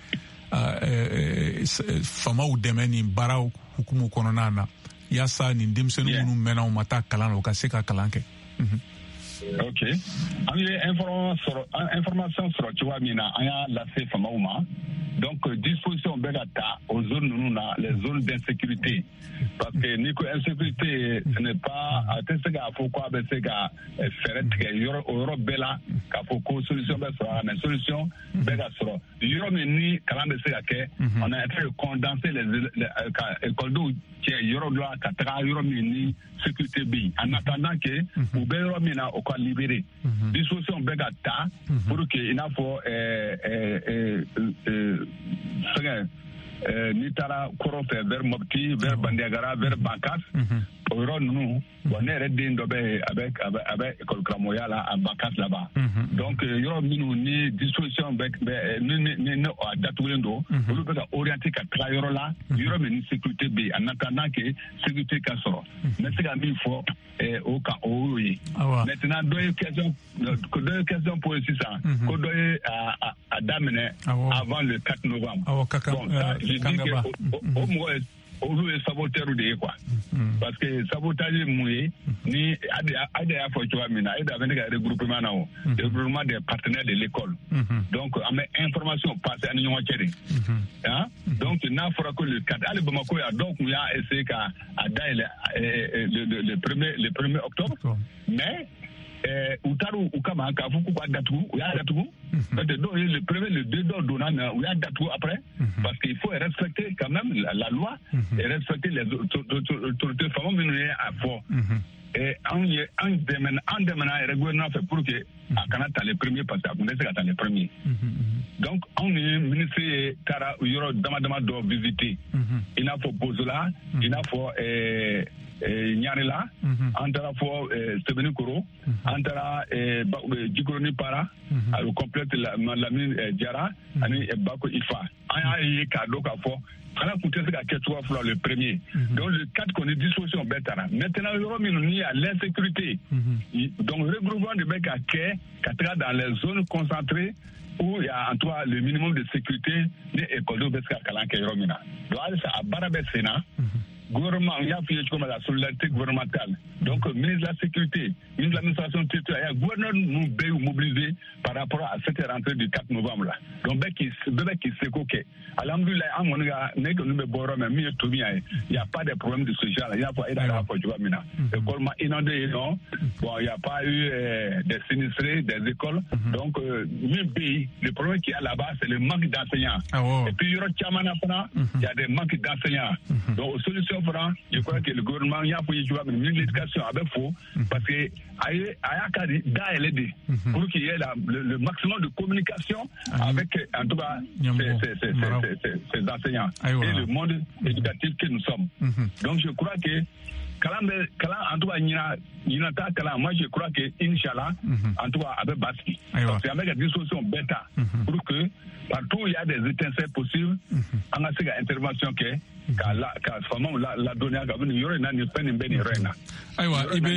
faamaw dɛmɛ nin baaraw hukumu kɔnɔna na, yaasa nin denmisɛnnin minnu mɛnna u ma taa kalan na, u ka se ka kalan kɛ? Ok, an ye information sɔrɔ cogoya min na, an y'a lase faamaw ma. Donc disposition bɛ ka ta o zone ninnu na, les zones d'insécurité, parce que n'i ko insécurité, ce n'est pas, a tɛ se k'a fɔ ko a bɛ se ka fɛɛrɛ tigɛ yɔrɔ o yɔrɔ bɛɛ la k'a fɔ ko solution bɛ sɔrɔ a la, mais solution bɛ ka sɔrɔ yɔrɔ min ni kalan bɛ se ka kɛ. On a été condenser les ka ekɔlidenw cɛ yɔrɔ dɔ la ka taga yɔrɔ min ni sécurité bɛ yen, en attendant que u bɛ yɔrɔ min na o ka libérer. Disposition bɛ ka ta pour que i n'a fɔ fɛngɛ, n'i taara kɔrɔn fɛ vers Mopti, vers Bandiagara, vers Bankas, o yɔrɔ ninnu. Bon, ne yɛrɛ den dɔ bɛ yen, a bɛ a bɛ a bɛ école karamɔgɔya la a Bankas là-bas. Donc yɔrɔ minnu ni disposition bɛ bɛ ni ni ni a datugulen don, olu bɛ ka orienter ka taga yɔrɔ la, yɔrɔ min ni sécurité bɛ yen, en attendant que sécurité ka sɔrɔ. N bɛ se ka min fɔ o kan, o y'o ye. Maintenant dɔ ye question dɔ ye question posé sisan, ko dɔ ye a a daminɛ avant le quatre novembre. Awɔ, ka kan. Bon, ça, je dis que o mɔgɔ ye, olu ye saboteur de ye quoi. Parce que sabotage ye mun ye? Ni a de y'a fɔ cogoya min na, e de a bɛ ne ka regroupement na, o regroupement des partenaires de l'école. Donc an bɛ information passer an ni ɲɔgɔn cɛ de. Hein? Donc n'a fɔra ko le quatre, hali Bamakɔ yan, dɔw tun y'a essayer ka a dayɛlɛ le le premier le premier octobre, mais u taara u kama k'a fɔ k'u b'a datugu, u y'a datugu. Donc le premier, le deux dɔw donna mais u y'a datugu après parce qu'il faut respecter quand même la, la loi et respecter les autorités faama minnu ye a fɔ. Et anw ye an dɛmɛ an dɛmɛna yɛrɛ gouvernement fɛ pour que a kana ta les premiers parce que a tun tɛ se ka ta les premiers. Donc anw ni ministre ye taara yɔrɔ dama dama dɔ visiter i n'a fɔ Bozola, i n'a fɔ ɛɛ Ɲarela, an taara fɔ Sɛbɛnnikoro, an taara Jikɔrɔni Para, au complexe Lamine Diarra ani Bako Ifa. An y'a ye k'a dɔn k'a fɔ kalan tun tɛ se ka kɛ cogoya fila le premier. Donc le quatre kɔni disposition bɛɛ taara. Maintenant yɔrɔ minnu ni y a l'insécurité, donc regroupement de bɛ ka kɛ ka taga dans les zones concentrées où il y a en tout cas le minimum de sécurité ni école bɛ se ka kalan kɛ yɔrɔ min na. Donc halisa a baara bɛ sen na. Gouvernement, il y a comme la solidarité gouvernementale. Donc, ministre de la Sécurité, ministre de l'Administration territoriale, il y a gouverneur nous bɛ mobilisé par rapport à cette rentrée du quatre novembre là. Donc, bɛɛ k'i bɛɛ k'i seko kɛ. Alhamdoulilah, an kɔni ka ne kɔni bɛ bɔ yɔrɔ min min ye tomi ye, il y a pas de problème de ce genre là. Il y a pas il a fɔ cogoya min na. École ma inondée yen nɔ. Bon, il y a pas eu euh, des sinistrés des écoles. Donc, euh, min bɛ yen, le problème qu'il y a là-bas, c'est le manque d'enseignants. Et puis yɔrɔ caman na fana, il y a des manques d'enseignants. Donc, solution je crois que le gouvernement y a pour le ministre de l'Éducation avait faux parce que a y'a ka dayɛlɛ de pour qu'il y ait la, le, le maximum de communication avec en tout cas ces, ces, ces, ces, ces enseignants et le monde éducatif que nous sommes. Donc je crois que kalan bɛ kalan en tout cas ɲina ɲina ta kalan, moi je crois que inchallah en tout cas a bɛ basigi parce que an bɛ ka disposition bɛɛ ta pour que partout où il y a des étincelles possibles an ka se ka intervention kɛ ka la ka faamaw la ladɔnniya ka bɔ nin yɔrɔ in na nin fɛn nin bɛ nin yɔrɔ in na. Ayiwa i bɛ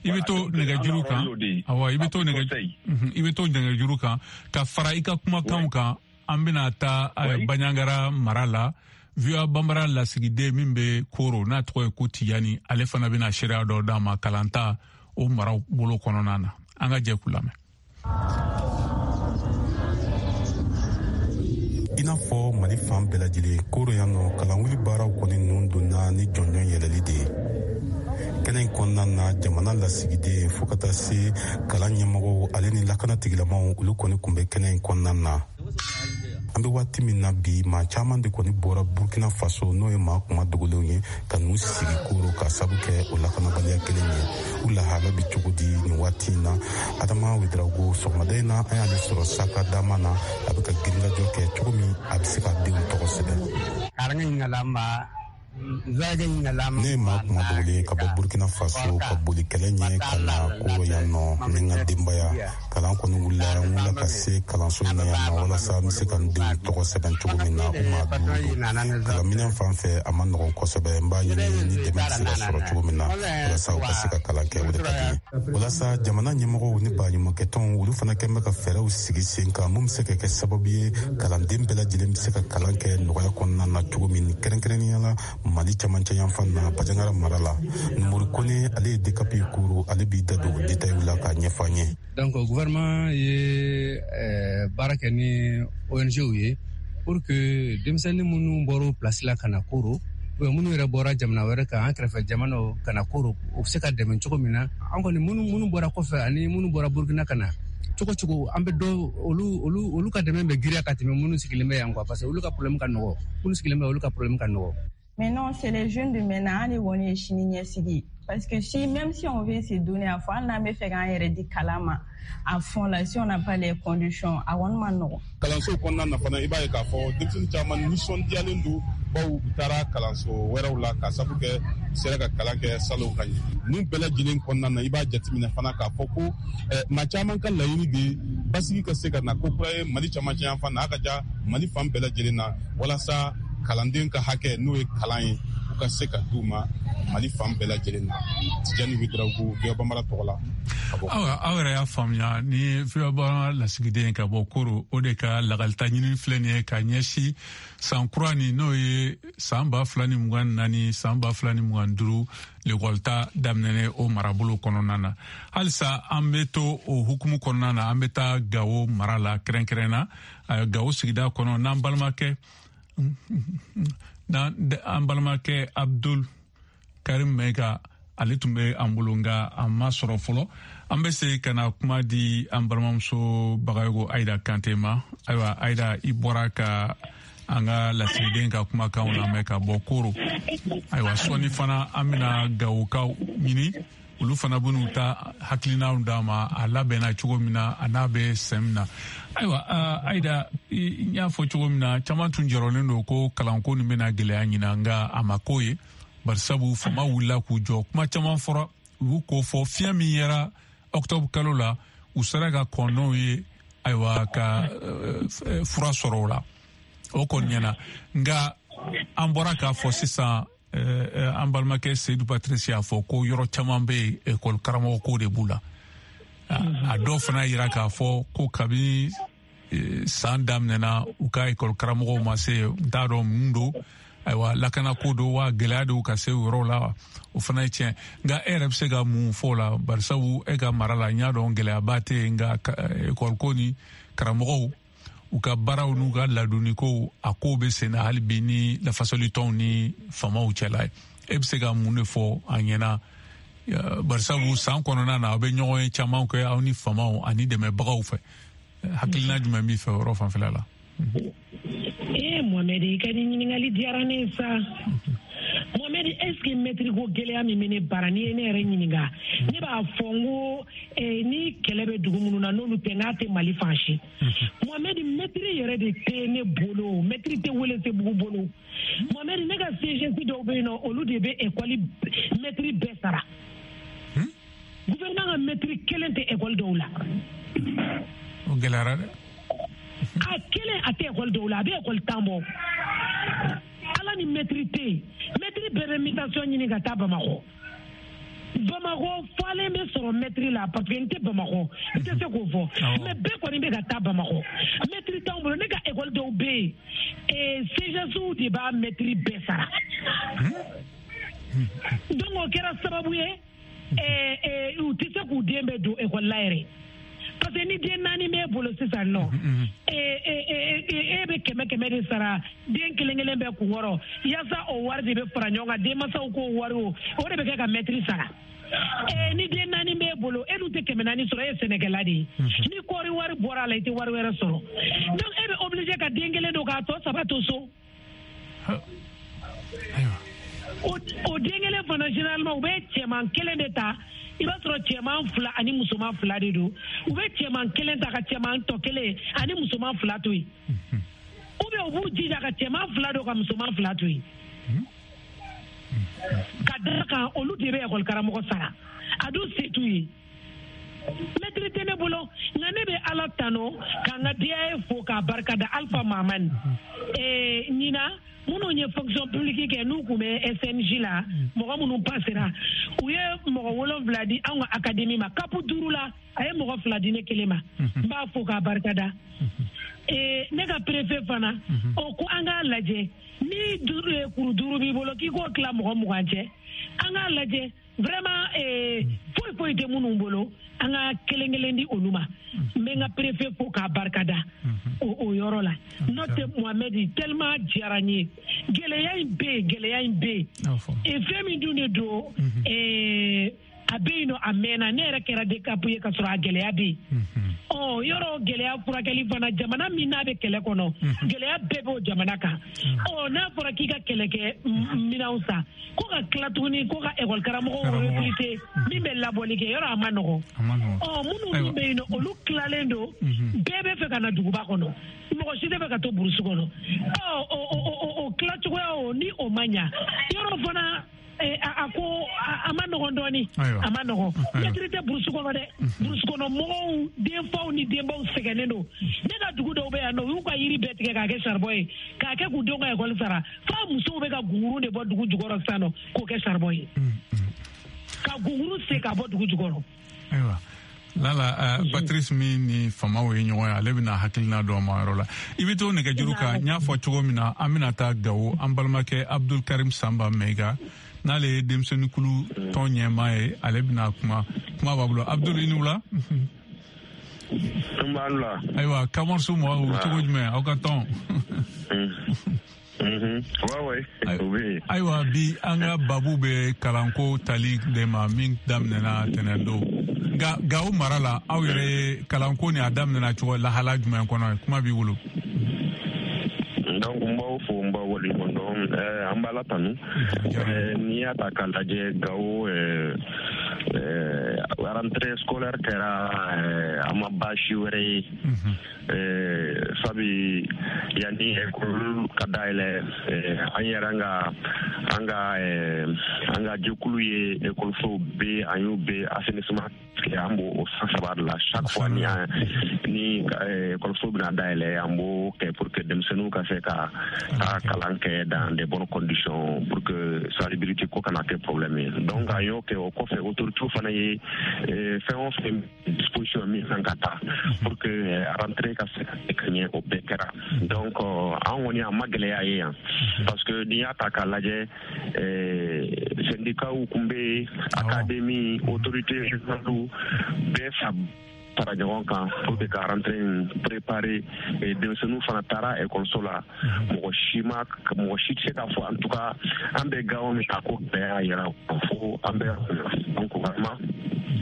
i bɛ to nɛgɛjuru kan, awa i bɛ to nɛgɛ i bɛ to nɛgɛjuru kan ka fara i ka kumakanw kan. An bɛna taa Bandiagara mara la. V O A Bambara lasigiden min bɛ Koro n'a tɔgɔ ye ko Tijani, ale fana bɛna seereya dɔ d'a ma kalanta o mara bolo kɔnɔna na. An ka jɛ k'u lamɛn. I n'a fɔ Mali fan bɛɛ lajɛlen, Koro yan nɔ kalanwuli baaraw kɔni ninnu donna ni jɔnjɔn yɛlɛli de ye. Kɛnɛ in kɔnɔna na jamana lasigiden fo ka taa se kalan ɲɛmɔgɔw ale ni lakana tigilamaw olu kɔni kun bɛ kɛnɛ in kɔnɔna na. An bɛ waati min na bi, maa caman de kɔni bɔra Burkina Faso n'o ye maa kuma dogolenw ye ka n'u sigi Koro ka sabu kɛ o lakanabaliya kelen ye. U lahala bɛ cogo di nin waati in na? Adama Ouedraogo sɔgɔmada in na an y'ale sɔrɔ saka dama na, a bɛ ka girinkajɔ kɛ cogo min a bɛ se ka denw tɔgɔ sɛbɛn. Ne ye maa kuma dogolen ka bɔ Burkina Faso ka boli kɛlɛ ɲɛ ka na Koro yan nɔ ni n ka denbaya. Kalan kɔni wulila, n wulila ka se kalanso in na yan nɔ walasa n bɛ se ka n denw tɔgɔ sɛbɛn cogo min na u maa duuru don. Kalanminɛn fan fɛ a ma nɔgɔn kosɛbɛ, n b'a ɲini ni dɛmɛ bɛ se ka sɔrɔ cogo min na walasa u ka se ka kalan kɛ, o de ka di n ye. Walasa jamana ɲɛmɔgɔw ni baɲumankɛtɔnw olu fana kɛn bɛ ka fɛɛrɛw sigi sen kan mun bɛ se ka kɛ sababu ye kalanden bɛɛ lajɛlen bɛ se ka kalan kɛ nɔgɔya kɔnɔna na cogo min, kɛrɛnkɛrɛnnenya la Mali camancɛ yanfan na Bandiagara mara la. Numori Kone ale ye D C A P Koro, ale b'i da don détail la k'a ɲɛfɔ an ye. Donc gouvernement ye baara kɛ ni O N G ye pour que denmisɛnnin minnu bɔra place la ka na Koro, ou minnu yɛrɛ bɔra jamana wɛrɛ kan, an kɛrɛfɛ jamanaw ka na Koro, u bɛ se ka dɛmɛ cogo min na. An kɔni minnu minnu bɔra kɔfɛ ani minnu bɔra Burkina ka na, cogo cogo an bɛ dɔ olu olu olu ka dɛmɛ bɛ giriya ka tɛmɛ minnu sigilen bɛ yan quoi, parce que olu ka problème ka nɔgɔ, minnu sigilen bɛ olu ka problème ka nɔgɔ. Maintenant, c'est les jeunes de maintenant, les woni sini ɲɛsigi. Parce que si, même si on veut se donner à fond, on n'a pas fait k'an yɛrɛ di kalan ma à fond là, si on n'a pas les conditions, a kɔni ma nɔgɔn. Kalanso kɔnɔna na fana, i b'a ye k'a fɔ denmisɛnnin caman nisɔndiyalen don bawo u taara kalanso wɛrɛw la k'a sabu kɛ u sera ka kalan kɛ salon ka ɲɛ. Ninnu bɛɛ lajɛlen kɔnɔna na, i b'a jateminɛ fana k'a fɔ ko maa caman ka laɲini de basigi ka se ka na ko kura ye Mali camancɛ yanfan na, a ka ja Mali fan bɛɛ lajɛlen na walasa kalanden ka hakɛ n'o ye kalan ye u ka se ka d'u ma Mali fan bɛɛ lajɛlen na. Tijani Ouedraogo, V O A Bambara tɔgɔ la. Aw aw yɛrɛ y'a faamuya ni V O A Bambara lasigiden ka bɔ Koro, o de ka lakalita ɲini filɛ nin ye ka ɲɛsin san kura nin n'o ye san ba fila ni mugan naani san ba fila ni mugan duuru lekɔlita daminɛnen o marabolo kɔnɔna na. Halisa an bɛ to o hukumu kɔnɔna na, an bɛ taa Gawo mara la kɛrɛnkɛrɛn na, Gawo sigida kɔnɔ n'an balimakɛ n'an balimakɛ Abdul Karim Maiga, Ale tun bɛ an bolo, nka a ma sɔrɔ fɔlɔ. An bɛ se ka na kuma di an balimamuso Bagayogo Ayida Kante ma. Ayiwa Ayida, i bɔra ka an ka lasigiden ka kumakanw lamɛn ka bɔ Koro. Ayiwa sɔɔni fana an bɛna Gawokaw ɲini, olu fana bɛn'u ta hakilinaw d'a ma, a labɛnna cogo min na, a n'a bɛ sɛn min na. Ayiwa Ayida, n y'a fɔ cogo min na, caman tun jɔrɔlen don ko kalanko nin bɛna gɛlɛya ɲina, nka a ma k'o ye. Barisabu fama wulila k'u jɔ, kuma caman fɔra, u y'u ko fɔ. Fiɲɛ min yera octobre kalo la, u sera ka kɔn n'o ye, ayiwa ka fura sɔrɔ o la, o kɔni ɲɛna. Nka an bɔra k'a fɔ sisan, an balimakɛ Seydou Patrice y'a fɔ ko yɔrɔ caman bɛ yen ekɔli karamɔgɔ ko de b'u la. A dɔw fana yira k'a fɔ ko kabini san daminɛna, u ka ekɔli karamɔgɔw ma se, n t'a dɔn mun don, ayiwa lakanako don wa gɛlɛya don ka se o yɔrɔ la, o fana ye tiɲɛ. Nka e yɛrɛ bɛ se ka mun fɔ o la? Barisabu e ka mara la, n y'a dɔn gɛlɛyaba tɛ yen, nka ekɔli ko ni karamɔgɔw u ka baaraw n'u ka ladonnikow, a kow bɛ sen na hali bi ni lafasalitɔnw ni faamaw cɛla ye. E bɛ se ka mun de fɔ an ɲɛna? Barisabu san kɔnɔna na, aw bɛ ɲɔgɔn ye caman kɛ aw ni faamaw ani dɛmɛbagaw fɛ. Hakilina jumɛn b'i fɛ o yɔrɔ fanfɛla la? Ee Mohamed, i ka nin ɲininkali diyara ne ye sa. Mohamed, est-ce que maître ko gɛlɛya min bɛ ne bara, n'i ye ne yɛrɛ ɲininka, ne b'a fɔ n ko ni kɛlɛ bɛ dugu minnu na, n'olu tɛ, n'a tɛ Mali fan si. Mohamed, maître yɛrɛ de tɛ ne bolo, maître tɛ Welesebugu bolo. Mohamed, ne ka C G S dɔw bɛ yen nɔ, olu de bɛ école maître bɛɛ sara. Gouvernement ka maître kelen tɛ école dɔw la. O gɛlɛyara dɛ. A kelen a tɛ école dɔw la, a bɛ école tan bɔ. Ala ni maître tɛ yen, maître bɛɛ bɛ mutation ɲini ka taa Bamakɔ. Bamakɔ falen bɛ sɔrɔ maître la, parce que n tɛ Bamakɔ, n tɛ se k'o fɔ, mais bɛɛ kɔni bɛ ka taa Bamakɔ. Maître t'anw bolo. Ne ka école dɔw bɛ yen, C G S de b'a maître bɛɛ sara. Donc o kɛra sababu ye, u tɛ se k'u den bɛɛ don école la yɛrɛ. Parce que ni den naani b'e bolo sisan nɔ, e bɛ kɛmɛ kɛmɛ de sara den kelen kelen bɛɛ kun kɔrɔ, yaasa o wari de bɛ fara ɲɔgɔn kan, denmansaw k'o wari o o de bɛ kɛ ka mɛtiri sara. Ni den naani b'e bolo, e dun tɛ kɛmɛ naani sɔrɔ, e ye sɛnɛkɛla de ye. Ni kɔɔri wari bɔra a la, i tɛ wari wɛrɛ sɔrɔ. Donc e bɛ obligé ka den kelen don k'a tɔ saba to so. O den kelen fana, généralement u bɛ cɛman kelen de ta. I b'a sɔrɔ cɛman fila ani musoman fila de don. U bɛ cɛman kelen ta ka cɛman tɔ kelen ani musoman fila to yen. Ou bien u b'u jija ka cɛman fila don ka musoman fila to yen. Ka d'a kan, olu de bɛ ekɔli karamɔgɔ sara. A dun se t'u ye. Maître tɛ ne bolo, nka ne bɛ Ala tanu k'an ka D A E fo k'a barika da Alpha Mahamani. Ee ɲinan minnu ye fonction publique kɛ, n'u tun bɛ S N J la, mɔgɔ minnu passera, u ye mɔgɔ wolonwula di anw ka académie ma. Kapu duuru la, a ye mɔgɔ fila di ne kelen ma. N b'a fo k'a barika da. Ee ne ka préfet fana, o ko an k'a lajɛ, ni duuru kuru duuru b'i bolo, k'i k'o tila mɔgɔ mugan cɛ, an k'a lajɛ vraiment foyi foyi tɛ minnu bolo, an ka kelen kelen di olu ma. N bɛ n ka préfet fo k'a barika da o o yɔrɔ la. N'o tɛ Mohamed, tellement diyara n ye. Gɛlɛya in bɛ yen, gɛlɛya in bɛ yen. Fɛn min dun de don, a bɛ yen nɔ, a mɛnna. Ne yɛrɛ kɛra D C A P ye ka sɔrɔ a gɛlɛya bɛ yen. Ɔ yɔrɔ gɛlɛya furakɛli fana, jamana min n'a bɛ kɛlɛ kɔnɔ, gɛlɛya bɛɛ b'o jamana kan. Ɔ n'a fɔra k'i ka kɛlɛkɛ minɛnw san, ko ka tila tuguni ko ka ekɔli karamɔgɔw recruter min bɛ labɔli kɛ, yɔrɔ a ma nɔgɔn. Ɔ minnu dun bɛ yen nɔ, olu tilalen don, bɛɛ bɛ fɛ ka na duguba kɔnɔ, mɔgɔ si tɛ fɛ ka to burusi kɔnɔ. Ɔ o o tilacogoya o ni o ma ɲa, yɔrɔ fana a ko a ma nɔgɔn dɔɔni, a ma nɔgɔn. Mɛtiri tɛ burusi kɔnɔ dɛ. Burusi kɔnɔ mɔgɔw, denfaw ni denbaw sɛgɛnnen don. Ne ka dugu dɔw bɛ yan nɔ, u y'u ka yiri bɛɛ tigɛ k'a kɛ saribɔn ye, k'a kɛ k'u denw ka ekɔli sara. F'a musow bɛ ka gungurun de bɔ dugu jukɔrɔ sisan nɔ k'o kɛ saribɔn ye, ka gungurun sen ka bɔ dugu jukɔrɔ. Ayiwa Lala, uh, Patrice min ni famaw ye ɲɔgɔn ye, ale bɛna hakilina dɔ ma yɔrɔ la. I bɛ to nɛgɛjuru kan, n y'a fɔ cogo min na, an bɛna taa Gawo, an balimakɛ Abdul Karim Sanba Mɛyiga, n'ale ye denmisɛnninkulu tɔn ɲɛmaa ye, ale bɛna kuma, kuma b'a bolo. Abdul, i ni wula. N b'a la. Ayiwa, Kamɔriso mɔgɔw cogo jumɛn aw ka tɔn? Ayiwa bi an ka babu bɛ kalanko tali de ma min daminɛna tɛnɛn don. Nka Gawo mara la, aw yɛrɛ ye kalanko ni a daminɛna cogo lahala jumɛn kɔnɔ? Kuma b'i bolo. Donc n b'aw fo, n b'aw waleɲuman dɔn. An b'Ala tanu. N'i y'a ta k'a lajɛ, Gawo rentrée scolaire kɛra, a ma baasi wɛrɛ ye, sabi yanni école ka dayɛlɛ, an yɛrɛ ka an ka an ka jɛkulu ye ekɔlisow bɛɛ, an y'u bɛɛ assainissement kɛ. An b'o o san saba de la, chaque fois ni ni ekɔliso bɛna dayɛlɛ, an b'o kɛ pour que denmisɛnninw ka se ka ka kalan kɛ dans de bonnes conditions, pour que salubrité ko kana kɛ problème ye. Donc an y'o kɛ. O kɔfɛ, autorités fana ye fɛn o fɛn disposition min kan ka ta pour que rentrée ka se ka kɛ ka ɲɛ, o bɛɛ kɛra. Donc an kɔni, a ma gɛlɛya ye yan, parce que n'i y'a ta k'a lajɛ, syndicats kun bɛ yen, académie, autorité régionale bɛɛ fa fara ɲɔgɔn kan pour que ka rentrée in préparer. Denmisɛnninw fana taara ekɔliso la, mɔgɔ si ma, mɔgɔ si tɛ se k'a fɔ, en tout cas an bɛ Gawo min, a ko bɛɛ y'a yira fo an bɛ. Donc vraiment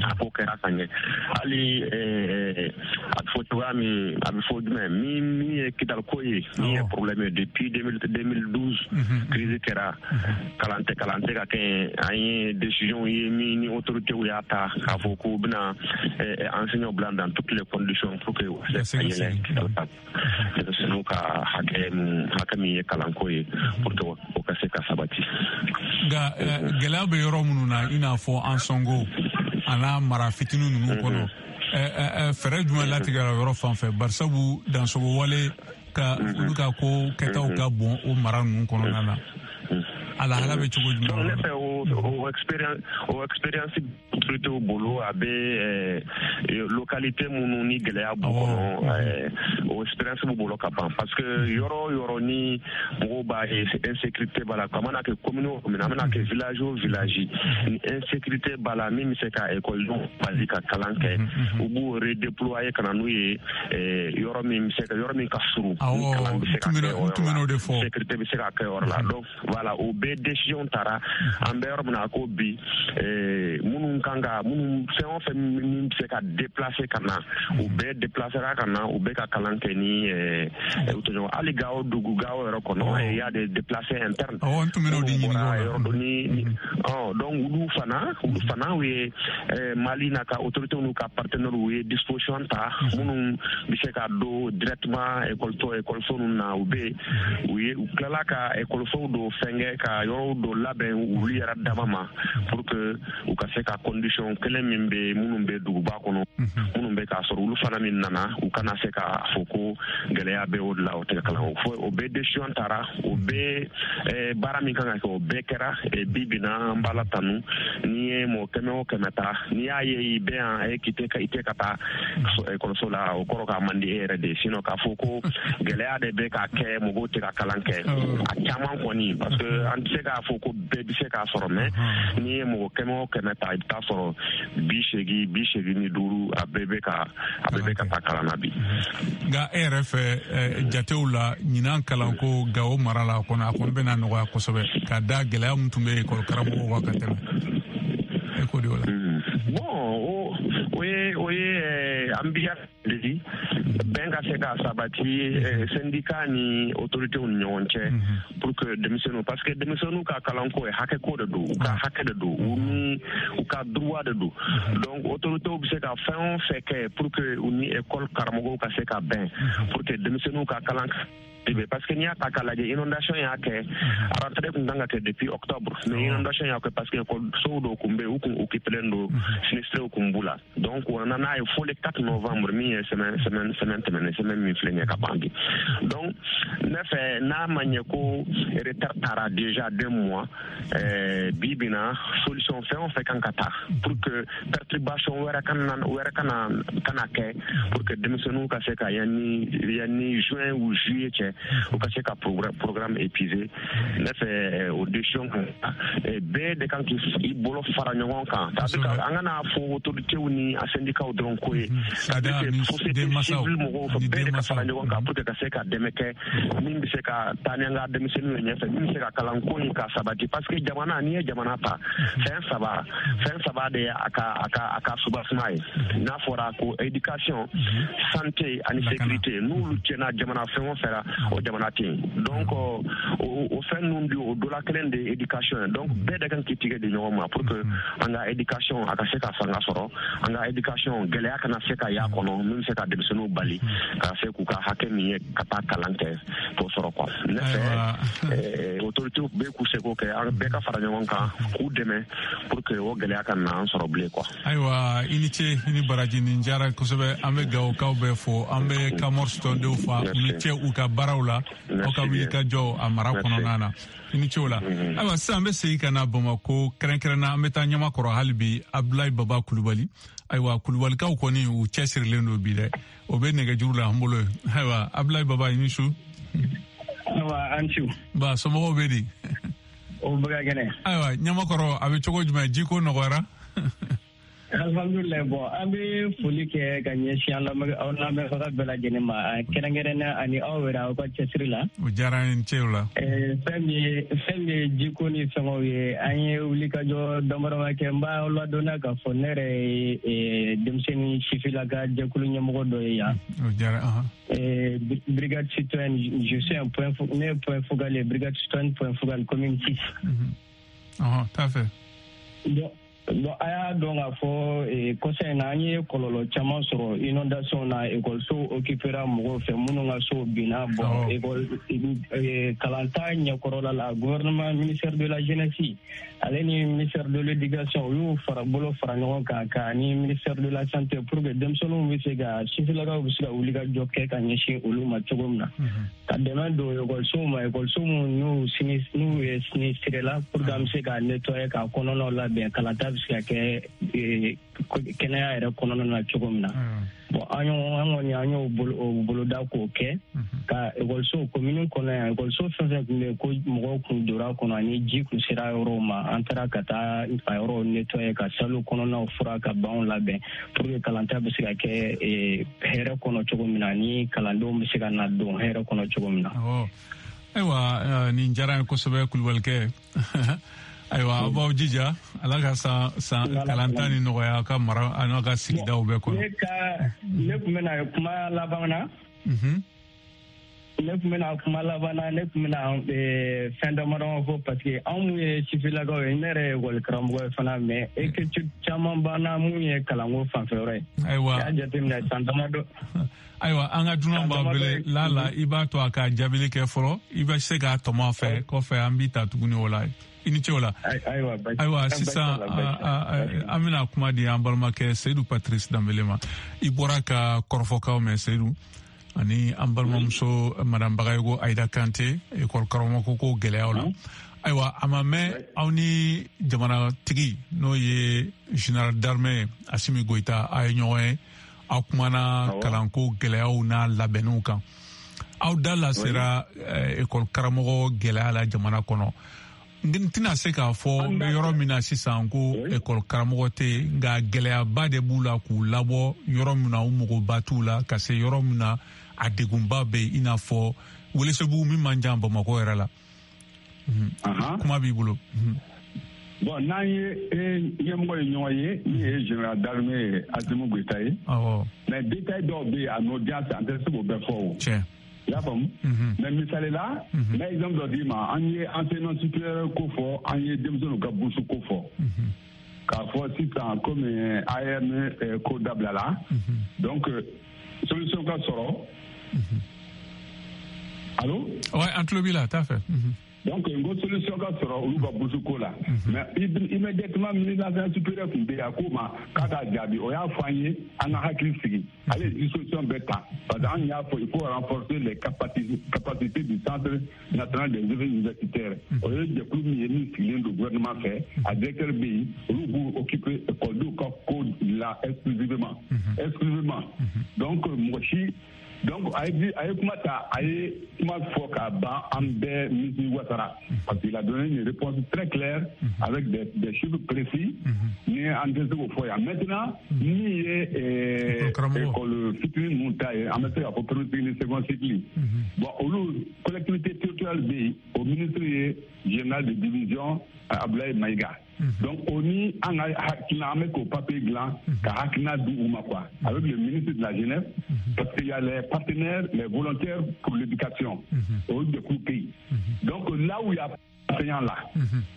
a ko kɛra ka ɲɛ. Hali a bɛ fɔ cogoya min, a bɛ fɔ jumɛn, min min ye Kidali ko ye, min ye problème ye depuis deux mille douze, crise kɛra, kalan tɛ kalan tɛ ka kɛ. An ye décision ye min ni autorités y'a ta k'a fɔ k'u bɛna enseignants bila dans toutes les conditions pour que u se ka yɛlɛ Kidali ka denmisɛnninw ka hakɛ min hakɛ min ye kalanko ye, pour que o ka se ka sabati. Nka gɛlɛya bɛ yɔrɔ minnu na, i n'a fɔ Ansongo a n'a mara fitinin ninnu kɔnɔ, fɛɛrɛ jumɛn latigɛra yɔrɔ fan fɛ? Barisabu dansogo wale ka olu ka ko kɛtaw ka bon o mara ninnu kɔnɔna na, a lahala bɛ cogo jumɛn? Ne fɛ, o o expérience o expérience autorités bolo, a bɛ localité minnu ni gɛlɛya b'u kɔnɔ, o expérience b'u bolo ka ban, parce que yɔrɔ o yɔrɔ ni mɔgɔw b'a ye insécurité b'a la, a mana kɛ commune o commune, a mana kɛ village o village, ni insécurité b'a la min bɛ se ka ekɔlidenw bali ka kalan kɛ, u b'u redéployer ka na n'u ye yɔrɔ min bɛ se ka yɔrɔ min ka surun, ni kalan bɛ se ka kɛ o yɔrɔ la, sécurité bɛ se ka kɛ yɔrɔ la. Donc voilà, o bɛɛ décision tara. An bɛ yɔrɔ min na ko bi, minnu kan ka minnu fɛn o fɛn min bɛ se ka déplacer ka na, u bɛɛ déplacera ka na, u bɛ ka kalan kɛ ni u tɔɲɔgɔn. Hali Gawo dugu, Gawo yɛrɛ kɔnɔ, il y a des déplacés internes. Awɔ, n tun bɛn'o de ɲininka o la. Yɔrɔ dɔ ni ɔ donc olu fana olu fana u ye Mali n'a ka autorités n'u ka partenaires, u ye disposition ta. Minnu bɛ se ka don directement école école ninnu na, u bɛ u ye u tilala ka école dɔ fɛnkɛ, ka yɔrɔw dɔ labɛn olu yɛrɛ dama ma, pour que u ka se ka condition kelen min bɛ minnu bɛ duguba kɔnɔ, minnu bɛ k'a sɔrɔ, olu fana min nana, u kana se k'a fɔ ko gɛlɛya bɛ o de la, o tɛ kalan fo. O bɛɛ décision tara, o bɛɛ baara min kan ka kɛ, o bɛɛ kɛra. Bi bi na, an b'Ala tanu. N'i ye mɔgɔ kɛmɛ o kɛmɛ ta, n'i y'a ye i bɛ yan e k'i tɛ i tɛ ka taa ekɔliso la, o kɔrɔ k'a man di e yɛrɛ de ye. Sinon k'a fɔ ko gɛlɛya de bɛ ka kɛ mɔgɔw tɛ ka kalan kɛ, a caman kɔni, parce que an tɛ se k'a fɔ ko bɛɛ bɛ se k'a sɔrɔ, mais n'i ye mɔgɔ kɛmɛ o kɛmɛ ta, i bɛ taa sɔrɔ bi seegin, bi seegin ni duuru, a bɛɛ bɛ ka a bɛɛ bɛ ka taa kalan na bi. Nka e yɛrɛ fɛ, jatew la, ɲinan kalanko Gawo mara la kɔnɔ, a kɔni bɛna nɔgɔya kosɛbɛ ka da gɛlɛya min tun bɛ ekɔli karamɔgɔw kan ka tɛmɛ, e ko de o la? Bon, o o ye o ye an bi de di bɛn ka se ka sabati syndicat ni autorités ni ɲɔgɔn cɛ, pour que denmisɛnninw, parce que denmisɛnninw ka kalanko ye hakɛ ko de don, u ka hakɛ de don, u ni u ka droit de don. Donc autorités bɛ se ka fɛn o fɛn kɛ pour que u ni école karamɔgɔw ka se ka bɛn, pour que denmisɛnninw ka kalan, parce que n'i y'a ta k'a lajɛ, inondation y'a kɛ, rentrée kun kan ka kɛ depuis octobre, mais inondation y'a kɛ, parce que école dɔw kun bɛ yen, u kun occupélen don, sinistrés kun b'u la. Donc o nana n'a ye fo le quatre novembre, min ye semaine semaine semaine tɛmɛnen, semaine min filɛ nin ye ka ban bi. Donc ne fɛ, n'a ma ɲɛ ko retard taara déjà deux mois, euh, bi bi na, solution fɛn o fɛn kan ka ta pour que perturbation wɛrɛ kana wɛrɛ kana kana kɛ, pour que denmisɛnninw ka se ka yanni yanni juin ou juillet cɛ. u ka se ka programme épuisé. Ne fɛ o décision kan bɛɛ de kan k'i bolo fara ɲɔgɔn kan, c'est-à-dire an kana fɔ autorités ni a syndicats dɔrɔn ko ye, c'est-à-dire que société civile mɔgɔw fɛ bɛɛ de ka fara ɲɔgɔn kan pour que ka se ka dɛmɛ kɛ min bɛ se ka taa ni an ka denmisɛnninw ye ɲɛfɛ, min bɛ se ka kalanko in ka sabati, parce que jamana, n'i ye jamana ta, fɛn saba fɛn saba de ye a ka a ka a ka subasuma ye. N'a fɔra ko éducation, santé ani sécurité, n'olu tiɲɛna jamana fɛn o fɛn la, o jamana tɛ yen. Donc o o fɛn ninnu de, o dɔ la kelen de ye éducation ye. Donc bɛɛ de kan k'i tigɛ di ɲɔgɔn ma pour que an ka éducation a ka se ka fanga sɔrɔ, an ka éducation gɛlɛya kana se ka y'a kɔnɔ min bɛ se ka denmisɛnninw bali ka se k'u ka hakɛ min ye ka taa kalan kɛ k'o sɔrɔ quoi. Ne fɛ autorités bɛɛ k'u seko kɛ, an bɛɛ ka fara ɲɔgɔn kan k'u dɛmɛ pour que o gɛlɛya ka na an sɔrɔ bilen quoi. Ayiwa, i ni ce, i ni baraji, nin diyara kosɛbɛ. An bɛ Gawokaw bɛɛ fo, an bɛ Kamɔri tɔndenw fa, u ni ce u ka baaraw la, aw ka wuli ka jɔ a mara kɔnɔna na, i ni ce o la. Ayiwa, sisan an bɛ segin ka na Bamakɔ, kɛrɛnkɛrɛnna an bɛ taa Ɲamakɔrɔ hali bi, Abdoulaye Baba Kulubali. Ayiwa, Kulubalikaw kɔni u cɛsirilen don bi dɛ, o bɛ nɛgɛjuru la an bolo. Ayiwa, Abdoulaye Baba, i ni su. Ayiwa, an su. Ba, somɔgɔw bɛ di? O bɛ ka kɛnɛ. Ayiwa, Ɲamakɔrɔ a bɛ cogo jumɛn, jiko nɔgɔyara? Alhamdulilayi, bon, an bɛ foli kɛ ka ɲɛsin an lamɛnbaga bɛɛ lajɛlen ma, kɛrɛnkɛrɛnnenya ani aw yɛrɛ aw ka cɛsiri la. O diyara an ye, cɛw la. Fɛn min ye fɛn min ye jiko ni fɛngɛw ye, an ye wulikajɔ damadama kɛ. N b'aw ladɔnniya k'a fɔ ne yɛrɛ ye denmisɛnnin sifinlaka jɛkulu ɲɛmɔgɔ dɔ ye yan. O diyara an. Brigade citoyenne, je suis un point, ne ye point focal ye, brigade citoyenne point focal commune six. Ɔhɔn, t'a fɛ. Bon. Bon, a y'a dɔn k'a fɔ kɔsa in na an ye kɔlɔlɔ caman sɔrɔ inondation na, ekɔlisow occupera mɔgɔw fɛ minnu ka sow binna. Bon, ekɔli kalanta ɲɛkɔrɔla la, gouvernement, ministère de la jeunesse ale ni ministère de l'éducation, u y'u fara bolo fara ɲɔgɔn kan ka ni ministère de la santé pour que denmisɛnninw bɛ se ka, sifinlakaw bɛ se ka wuli ka jɔ kɛ ka ɲɛsin olu ma cogo min na, ka dɛmɛ don ekɔlisow ma, ekɔliso minnu n'u sini n'u ye sinistré la, pour que an bɛ se ka nettoyer k'a kɔnɔnaw labɛn, kalanta bɛ se ka kɛ kɛnɛya yɛrɛ kɔnɔna na cogo min na. Bon, an y'o an kɔni an y'o boloda k'o kɛ ka ekɔliso commune kɔnɔ yan, ekɔliso fɛn fɛn tun bɛ yen ko mɔgɔw kun donna kɔnɔ ani ji kun sera yɔrɔw ma, an taara ka taa a yɔrɔw nettoyer, ka salle kɔnɔnaw fura, ka banw labɛn pour que kalanta bɛ se ka kɛ hɛrɛ kɔnɔ cogo min na, ani kalandenw bɛ se ka na don hɛrɛ kɔnɔ cogo min na. Ayiwa, nin diyara n ye kosɛbɛ, Kulubalikɛ. Ayiwa, aw b'aw jija, Ala ka san san kalanta ni nɔgɔya aw ka mara a n'aw ka sigidaw bɛɛ kɔnɔ. Ne ka ne tun bɛna kuma laban na. Ne tun bɛna kuma laban na, ne tun bɛna fɛn damadama fɔ parce que anw mun ye sifinlakaw ye, ne yɛrɛ ye ekɔli karamɔgɔ ye fana, mais écriture caman b'an na mun ye kalanko fanfɛ yɔrɔ ye. Ayiwa, i y'a jateminɛ san damadɔ. Ayiwa, an ka dunan b'a wele lala, i b'a to a ka jaabili kɛ fɔlɔ, i bɛ se k'a tɔmɔ a fɛ, kɔfɛ an b'i ta tuguni o la. I ni ce o la. Ayiwa, sisan an bɛna kuma di an balimakɛ Seydou Patrice Danbele ma. I bɔra ka kɔrɔfɔkaw mɛn, Seydou, ani an balimamuso madame Bagayogo Ayida Kante, ekɔli karamɔgɔ ko gɛlɛyaw la. Ayiwa, a ma mɛn aw ni jamanatigi n'o ye général d'armée Assimi Goïta a ye ɲɔgɔn ye, aw kumana kalanko gɛlɛyaw n'a labɛnniw kan. Aw da lasera ekɔli karamɔgɔ gɛlɛya la jamana kɔnɔ. N tɛna se k'a fɔ n bɛ yɔrɔ min na sisan ko ekɔli karamɔgɔ tɛ yen, nka gɛlɛyaba de b'u la k'u labɔ yɔrɔ min na u magoba t'u la, ka se yɔrɔ min na a degunba bɛ yen, i n'a fɔ Welesebugu min man jan Bamakɔ yɛrɛ la. Kuma b'i bolo. Bon, n'an ye ɲɛmɔgɔ ye ɲɔgɔn ye min ye général d'armée Assimi Goïta ye. Mais détail dɔw bɛ yen a n'o diya an tɛ se k'o bɛɛ fɔ o. Tiɲɛ. I y'a faamu? Mais misali la, n bɛ exemple dɔ d'i ma. An ye enseignement supérieur ko fɔ, an ye denmisɛnninw ka bourse ko fɔ. K'a fɔ sisan komi A M ko dabilala, donc solution ka sɔrɔ. Allo? Ouais, an tulo b'i la, t'a fɛ. Donc n ko solution ka sɔrɔ olu ka bourse ko la. Mais immédiatement ministre de l'enseignement supérieur tun bɛ yen, a k'o ma k'a k'a jaabi, o y'a fɔ an ye an ka hakili sigi, ale ye disposition bɛɛ ta, parce que an y'a fɔ il faut renforcer les capacités capacités du centre national des œuvres universitaires. O ye jɛkulu min ye min sigilen don gouvernement fɛ, a directeur bɛ yen, olu b'u occuper ekɔlidenw ka ko la exclusivement exclusivement. Donc mɔgɔ si Donc a ye a ye kuma ta, a ye kuma fɔ k'a ban, an bɛɛ misi wasara, parce qu'il a donné une réponse très claire avec des, des chiffres précis. Ni an tɛ se k'o fɔ yan maintenant. Min ye école fitinin ninnu ta ye, an bɛ se k'a fɔ premier cycle ni second cycle, bon, olu collectivité territoriale bɛ yen, o ministre ye général de division Abdoulaye Maïga. Donc o ni an ka hakilina, an bɛ k'o papier dilan ka hakilina di u ma quoi, avec le ministre de la jeunesse, parce qu'il y a les partenaires, les volontaires pour l'éducation, o jɛkulu bɛ yen. Donc là où il y a enseignants là,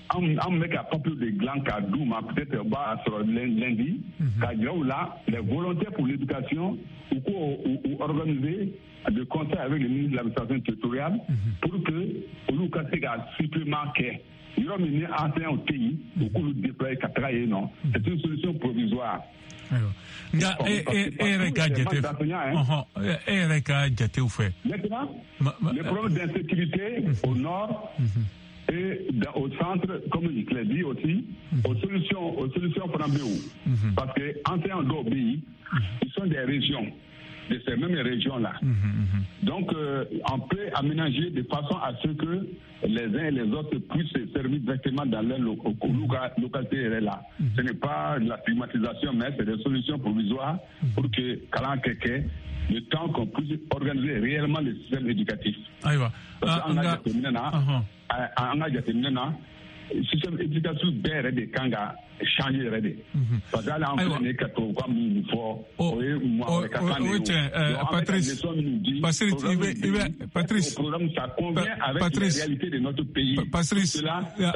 an an bɛ ka papier de dilan k'a d'u ma, peut-être u b'a sɔrɔ lundi, k'a jira u la les volontaires pour l'éducation, u k'o u organiser de concert avec le ministre de l'administration territoriale pour que olu ka se ka supplément kɛ yɔrɔ min ni enseignants tɛ yen, u k'olu déployer ka taga yen nɔ. C'est une solution provisoire. Ayiwa, nka e e e yɛrɛ ka jate, ɔhɔn, e yɛrɛ ka jatew fɛ. Maintenant, le problème d'insécurité au nord et dans, au centre, comme je l'ai dit aussi, aux solutions, aux solutions fana bɛ yen, parce que enseignants dɔw bɛ yen, ils sont des régions, de ces mêmes régions-là. Mmh, mmh. Donc, euh, on peut aménager de façon à ce que les uns et les autres puissent se servir directement dans leur lo- localité là. Mmh. Ce n'est pas de la stigmatisation, mais c'est des solutions provisoires mmh. pour que kalan kɛ kɛ, le temps qu'on puisse organiser réellement le système éducatif. Ayiwa. Parce que an ka jateminɛ na, an ka jateminɛ na, système éducatif bɛɛ yɛrɛ de kan ka changer yɛrɛ de. Parce que hali an filɛ nin ye ka tubabukan min fɔ, o ye maa wɛrɛ ka kan de ye. O tiɲɛ, Patrice, Patrice, i bɛ i bɛ Patrice, programme ça convient avec la réalité de notre pays. Patrice,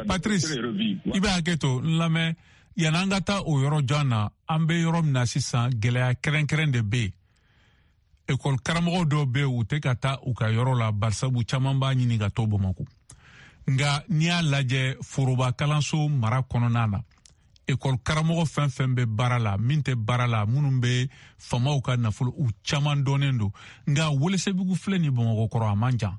Patrice, i bɛ hakɛ to n lamɛn, yan'an ka taa o yɔrɔ jan na, an bɛ yɔrɔ min na sisan, gɛlɛya kɛrɛnkɛrɛn de bɛ yen. École karamɔgɔ dɔw bɛ yen, u tɛ ka taa u ka yɔrɔ la, barisabu caman b'a ɲini ka to Bamakɔ. Nka n'i y'a lajɛ foroba kalanso mara kɔnɔna na, ekɔli karamɔgɔ fɛn fɛn bɛ baara la, min tɛ baara la, minnu bɛ faamaw ka nafolo, u caman dɔnnen don. Nka Welesebugu filɛ ni Bamakɔ kɔrɔ, a man jan.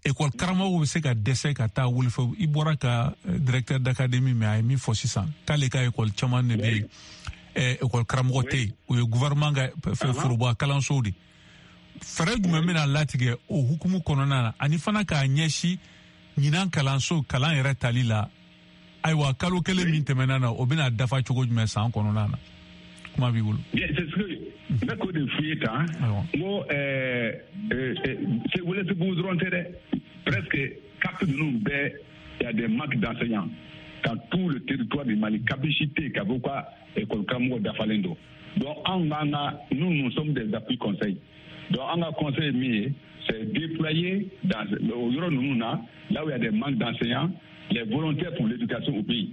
Ekɔli karamɔgɔw bɛ se ka dɛsɛ ka taa Welesebugu. I bɔra ka directeur d'académie mɛn, a ye min fɔ sisan, k'ale ka ekɔli caman de bɛ yen, ekɔli karamɔgɔ tɛ yen, o ye gouvernement ka foroba kalansow de. Fɛɛrɛ jumɛn bɛna latigɛ o hukumu kɔnɔna na, ani fana k'a ɲɛsin ɲinan kalanso kalan yɛrɛ tali la? Ayiwa, kalo kelen min tɛmɛna na, o bɛna dafa cogo jumɛn san kɔnɔna na? Kuma b'i bolo. Bien, c'est ce que n bɛ k'o de f'i ye tan. N ko ɛɛ Welesebugu dɔrɔn tɛ dɛ, presque CAP ninnu bɛɛ, y a des manques d'enseignants dans tout le territoire du Mali. C A P si tɛ yen k'a fɔ ko école karamɔgɔ dafalen don. Donc anw k'an ka, nous nous sommes des appuis conseils. Donc an ka conseil ye min ye, c'est déployer dans o yɔrɔ ninnu na, là où il y a des manques d'enseignants, les volontaires pour l'éducation au pays.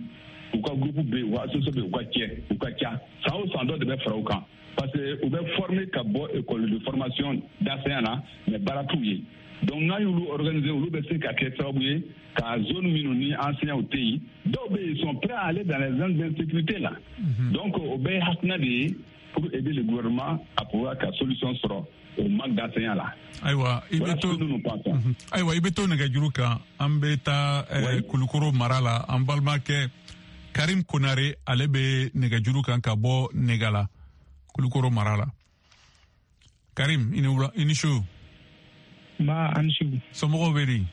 U ka groupe bɛ yen, u ka association bɛ yen, u ka cɛ, u ka ca. San o san dɔ de bɛ fara u kan, parce que u bɛ former ka bɔ école de formation d'enseignants na, mais baara t'u ye. Donc n'an y'olu organiser, olu bɛ se ka kɛ sababu ye ka zone minnu ni enseignants tɛ yen, dɔw bɛ yen, ils sont prêts à aller dans les zones d'insécurité là. Donc o bɛɛ ye hakilina de ye pour aider le gouvernement à pouvoir ka solution sɔrɔ au manque d'enseignants là. Ayiwa, i bɛ to, ayiwa, i bɛ to nɛgɛjuru kan. An bɛ taa Kulukoro mara la, an balimakɛ Karim Konare, ale bɛ nɛgɛjuru kan ka bɔ Negala, Kulukoro mara la. Karim, i ni wula, i ni su. Nba, an su. Somɔgɔw bɛ di?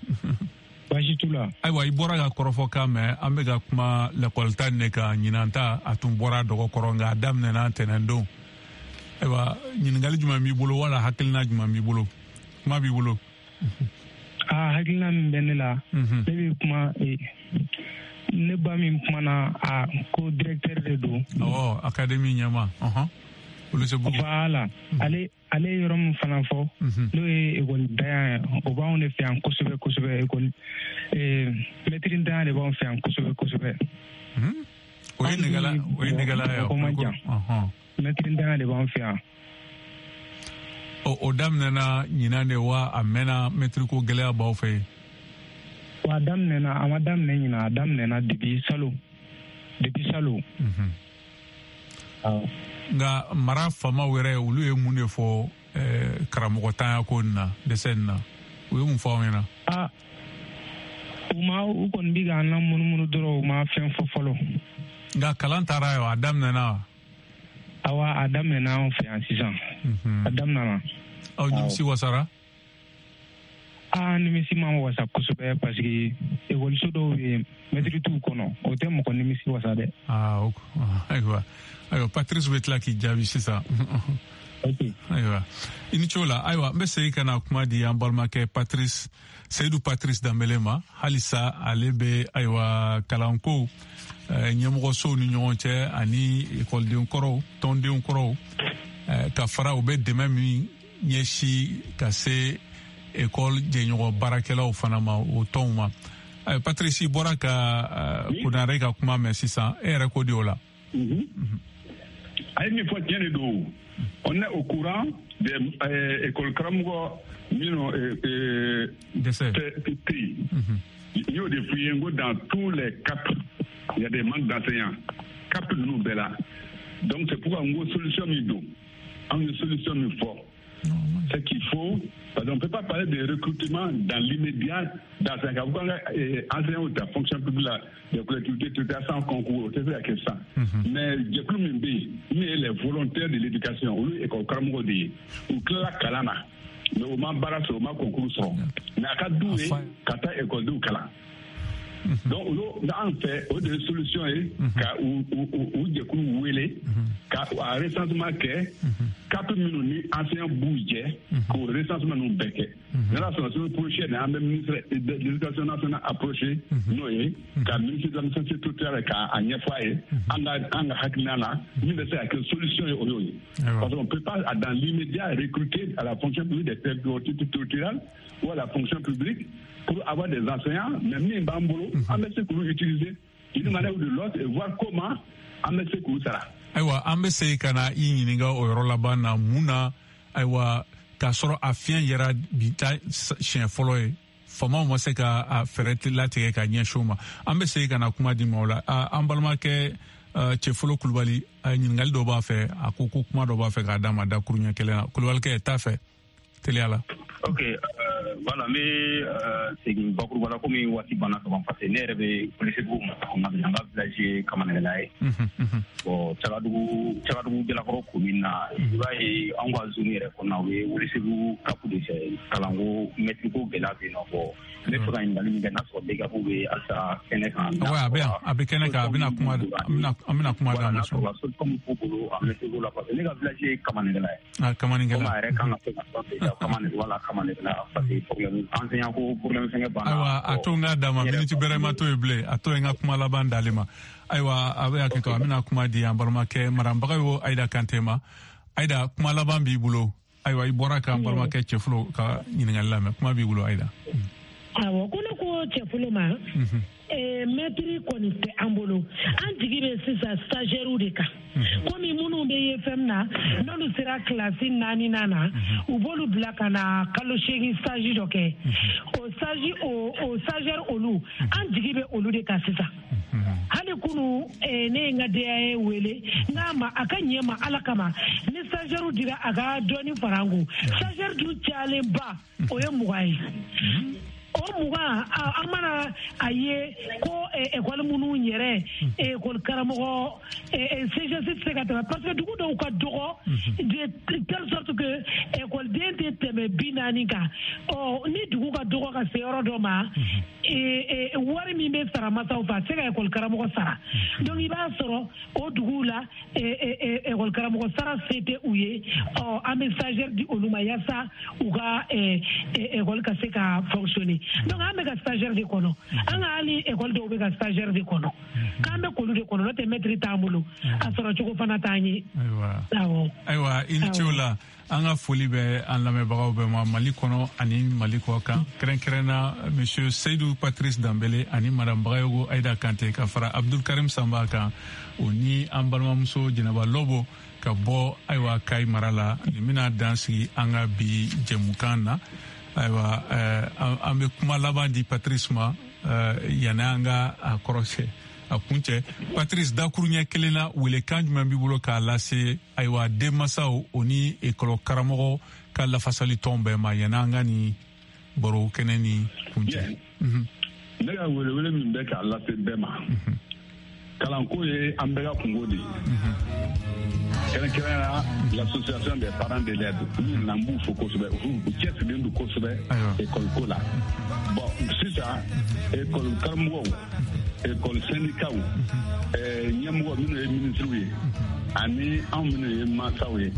Baasi t'u la. Ayiwa, i bɔra ka kɔrɔfɔ kan mɛn, an bɛ ka kuma lakɔlita nin de kan. Ɲinan ta, a tun bɔra dɔgɔkɔrɔ, nka a daminɛna ntɛnɛn don. Ayiwa, ɲininkali jumɛn b'i bolo, wala hakilina jumɛn b'i bolo? Kuma b'i bolo. Aa, hakilina min bɛ ne la, ne bɛ kuma, ne ba min kumana, a ko directeur de don. Awɔ, académie ɲɛmaa. Ɔhɔn. Welesebugu. Voilà, ale ale ye yɔrɔ min fana fɔ, n'o ye ekɔli dayan ye, o b'anw de fɛ yan kosɛbɛ kosɛbɛ. Ekɔli mɛtiri dayan de b'anw fɛ yan kosɛbɛ kosɛbɛ. O ye Negala, o ye Negala ye. O man jan. Mɛtiri dayan de b'anw fɛ yan. O o daminɛna ɲinan de wa, a mɛnna mɛtiri ko gɛlɛya b'aw fɛ yen? Wa a daminɛna, a ma daminɛ ɲinan, a daminɛna depuis salon, depuis salon. Nka mara faamaw yɛrɛ, olu ye mun de fɔ karamɔgɔ tanya ko nin na, dɛsɛ nin na? U ye mun fɔ aw ɲɛna? Aa, u ma, u kɔni bi k'an lamunumunu dɔrɔn, u ma fɛn fɔ fɔlɔ. Nka kalan taara yen, a daminɛna wa? Awa, a daminɛna anw fɛ yan sisan. A daminɛna. Aw nimisi wasara? Aa, nimisi ma wasa kosɛbɛ parce que ekɔliso dɔw bɛ yen, mɛtiri t'u kɔnɔ, o tɛ mɔgɔ nimisi wasa dɛ. Aa, ayiwa ayiwa, Patrice bɛ tila k'i jaabi sisan. Ayiwa, i ni ce o la. Ayiwa, n bɛ segin ka na kuma di an balimakɛ Patrice, Seyidu Patrice Danbele ma. Halisa ale bɛ ayiwa kalanko ɲɛmɔgɔsow ni ɲɔgɔn cɛ ani ekɔliden kɔrɔw, tɔndenw kɔrɔw, ka fara u bɛ dɛmɛ min ɲɛsin ka se ekɔli jɛɲɔgɔn baarakɛlaw fana ma, o tɔnw ma. Patrice, i bɔra ka Konare ka kuma mɛn sisan, e yɛrɛ ko di o la? A ye min fɔ tiɲɛ de don. On est au courant des écoles karamɔgɔ minnu dɛsɛ tɛ yen. N y'o de f'i ye, n ko dans tous les C A P il y a des manques d'enseignants, C A P ninnu bɛɛ la. Donc c'est pourquoi n ko solution min don, anw ye solution min fɔ, c'est qu'il faut, parce qu'on ne peut pas parler de recrutement dans l'immédiat d'enseignants. Quand enseignants de la fonction publique, des collectivités territoriales sans concours, o tɛ se ka kɛ sisan. Mais jɛkulu min bɛ yen, min ye les volontaires de l'éducation, olu ye école karamɔgɔ de ye, u tilala kalan na, mais u ma baara sɔrɔ, u ma concours sɔrɔ, mais a ka d'u ye ka taa ekɔlidenw kalan. Donc olu an fɛ, o de ye solution ye, ka u u jɛkulu wele ka a recensement kɛ, C A P minnu ni enseignant b'u jɛ, k'o recensement ninnu bɛɛ kɛ. N'ala sɔnna, semaine prochaine an bɛ ministre de l'éducation nationale approché, n'o ye ka ministre de l'administration territoriale k'a ɲɛfɔ a ye an ka an ka hakilina la min bɛ se ka kɛ solution ye, o y'o ye. Parce qu'on peut pas dans l'immédiat recruter à la fonction publique des collectivités territoriales ou à la fonction publique pour avoir des enseignants, mais min b'an bolo, an bɛ se k'olu utiliser d'une manière ou de l'autre et voir comment an bɛ se k'u sara. Ayiwa, an bɛ segin ka na i ɲininka o yɔrɔ laban na, mun na ayiwa k'a sɔrɔ a fiɲɛ yɛrɛ bi ta siɲɛ fɔlɔ ye, faamaw ma se ka a fɛɛrɛ latigɛ ka ɲɛsin o ma? An bɛ segin ka na kuma di ma o la. An balimakɛ Cɛfolo Kulubali, ɲininkali dɔ b'a fɛ, a ko ko kuma dɔ b'a fɛ k'a d'a ma dakuruɲɛ kelen na. Kulubalikɛ, t'a fɛ teliya la. Ok, voilà, n bɛ segin bakuruba la komi waati banna ka ban, parce que ne yɛrɛ bɛ Welesebugu mara kɔnɔna na, n ka village ye Kamanɛgɛla ye. Bon, Cagadugu Cagadugu Jalakɔrɔ commune na, i b'a ye anw ka zone yɛrɛ kɔnɔna, o ye Welesebugu C A P de fɛ, kalanko mɛtiri ko gɛlɛya bɛ yen nɔ. Bon, n bɛ fɛ ka ɲininkali min kɛ, n'a sɔrɔ D E C A F bɛ halisa kɛnɛ kan. Ouais, a bɛ yan, a bɛ kɛnɛ kan, a bɛna kuma, an bɛna kuma d'a ma. N'a sɔrɔ solution min b'u bolo a mɛtiri ko la, parce que ne ka village ye Kamanɛgɛla ye. Ah, Kamanɛgɛla. Komi a yɛrɛ kan ka se ka sɔn Kamanɛgɛla, voilà, Kamanɛgɛla, parce que problème enseignant ko problème fɛngɛ banna. Ayiwa, a to n k'a d'a ma, miniti bɛrɛ ma to yen bilen, a to yen n ka kuma laban d'ale ma. Ayiwa, a bɛ hakɛ to, an bɛna kuma di an balimakɛ Marambaga Ayida Kante ma. Ayida, kuma laban b'i bolo. Ayiwa, i bɔra k'an balimakɛ Cɛfolo ka ɲininkali lamɛn, kuma b'i bolo Ayida. Awɔ, ko ne ko Cɛfolo ma, mɛtiri kɔni tɛ an bolo, an jigi bɛ sisan stagiaires de kan. Komi minnu bɛ ye fɛn na, n'olu sera kilasi naaninan na, u b'olu bila ka na kalo seegin stage dɔ kɛ. O stage o o stagiaire olu, an jigi bɛ olu de kan sisan. Hali kunu ne ye n ka D A E wele, n k'a ma a ka ɲɛ ma Ala kama, ni stagiaire dira a ka dɔɔni fara an kun. Stagiaire dun cayalenba o ye mugan ye. O mugan, an mana a ye ko ekɔli minnu yɛrɛ ekɔli karamɔgɔ C G S tɛ se ka tɛmɛ, parce que dugu dɔw ka dɔgɔ de telle sorte que ekɔliden tɛ tɛmɛ bi naani kan. Ɔ ni dugu ka dɔgɔ ka se yɔrɔ dɔ ma, wari min bɛ sara masaw fɛ, a tɛ se ka ekɔli karamɔgɔ sara. Donc i b'a sɔrɔ o duguw la ekɔli karamɔgɔ sara se tɛ u ye. Ɔ an bɛ stagiaire di olu ma yaasa u ka ekɔli ka se ka fonctionner. Donc an bɛ ka stagiaire de kɔnɔ, an ka hali ekɔli dɔw bɛ ka stagiaire de kɔnɔ, k'an bɛ k'olu de kɔnɔ, n'o tɛ mɛtiri t'an bolo, a sɔrɔ cogo fana t'an ye. Ayiwa, ayiwa, i ni ce o la. An ka foli bɛ an lamɛnbagaw bɛɛ ma Mali kɔnɔ ani Mali kɔ kan, kɛrɛnkɛrɛnna monsieur Seydou Patrice Danbele ani madame Bagayogo Ayida Kante, ka fara Abdul Karim Sanba kan, o ni an balimamuso Jɛnɛba Lɔbo ka bɔ ayiwa Kayi mara la. Nin bɛna dan sigi an ka bi jɛmukan na. Ayiwa, an bɛ kuma laban di Patrice ma yanni an ka a kɔrɔsɛ a kuncɛ. Patrice, dakuruɲɛ kelen na, welekan jumɛn b'i bolo k'a lase ayiwa denmansaw o ni ekɔli karamɔgɔ ka lafasali tɔn bɛɛ ma yanni an ka nin baro kɛnɛ ni kuncɛ? Ne ka welewele min bɛ k'a lase bɛɛ ma, kalanko ye an bɛɛ ka kungo de ye. Kɛrɛnkɛrɛnnenya l'association des parents d'élèves olu nana, n b'u fo kosɛbɛ, u cɛsirilen don kosɛbɛ école ko la. Bon, sisan école karamɔgɔw, école syndicats, ɲɛmɔgɔ minnu ye ministres ye ani anw minnu ye mansaw ye,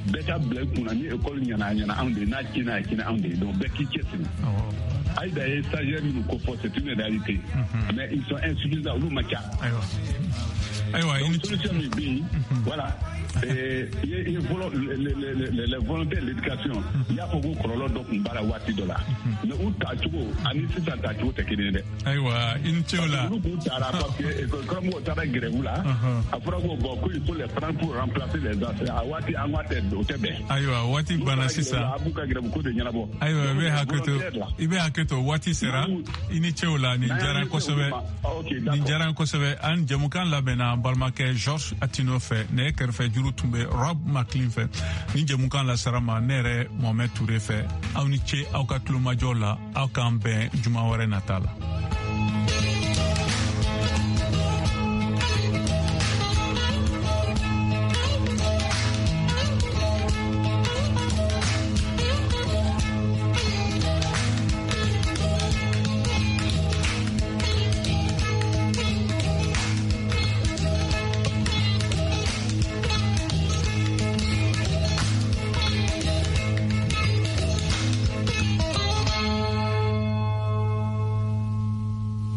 bɛɛ ka bila i kunna ni école ɲɛna, a ɲɛna anw de ye, n'a tiɲɛna, a tiɲɛna anw de ye. Donc bɛɛ k'i cɛsiri. Aïda ye stagiaire minnu ko fɔ, c'est une réalité, mais ils sont insuffisants, olu ma ca. Ayiwa. Donc solution min bɛ yen, voilà, i ye les volontaires de l'éducation, i y'a fɔ ko kɔlɔlɔ dɔ tun b'a la waati dɔ la, mais u tacogo ani sisan tacogo tɛ kelen ye dɛ. Ayiwa, i ni ce o la. Olu k'u taara parce que école karamɔgɔw taara grève la, a fɔra ko bon, ko il faut les prendre pour remplacer les enseignants. A waati an ko tɛ, o tɛ bɛn. Ayiwa, waati banna sisan. A b'u ka grève ko de ɲɛnabɔ. Ayiwa, i bɛ hakɛ to, i bɛ hakɛ to, waati sera. I ni ce o la, nin diyara n kosɛbɛ, nin diyara n kosɛbɛ. An jɛmukan labɛnna an balimakɛ Georges Atino fɛ, nɛgɛ kɛrɛfɛ juru tun bɛ Rob McLean fɛ. Nin jɛmukan lasara ma ne yɛrɛ Mohamed Touré fɛ. Aw ni ce aw ka tulomajɔ la, aw k'an bɛn juma wɛrɛ nata la.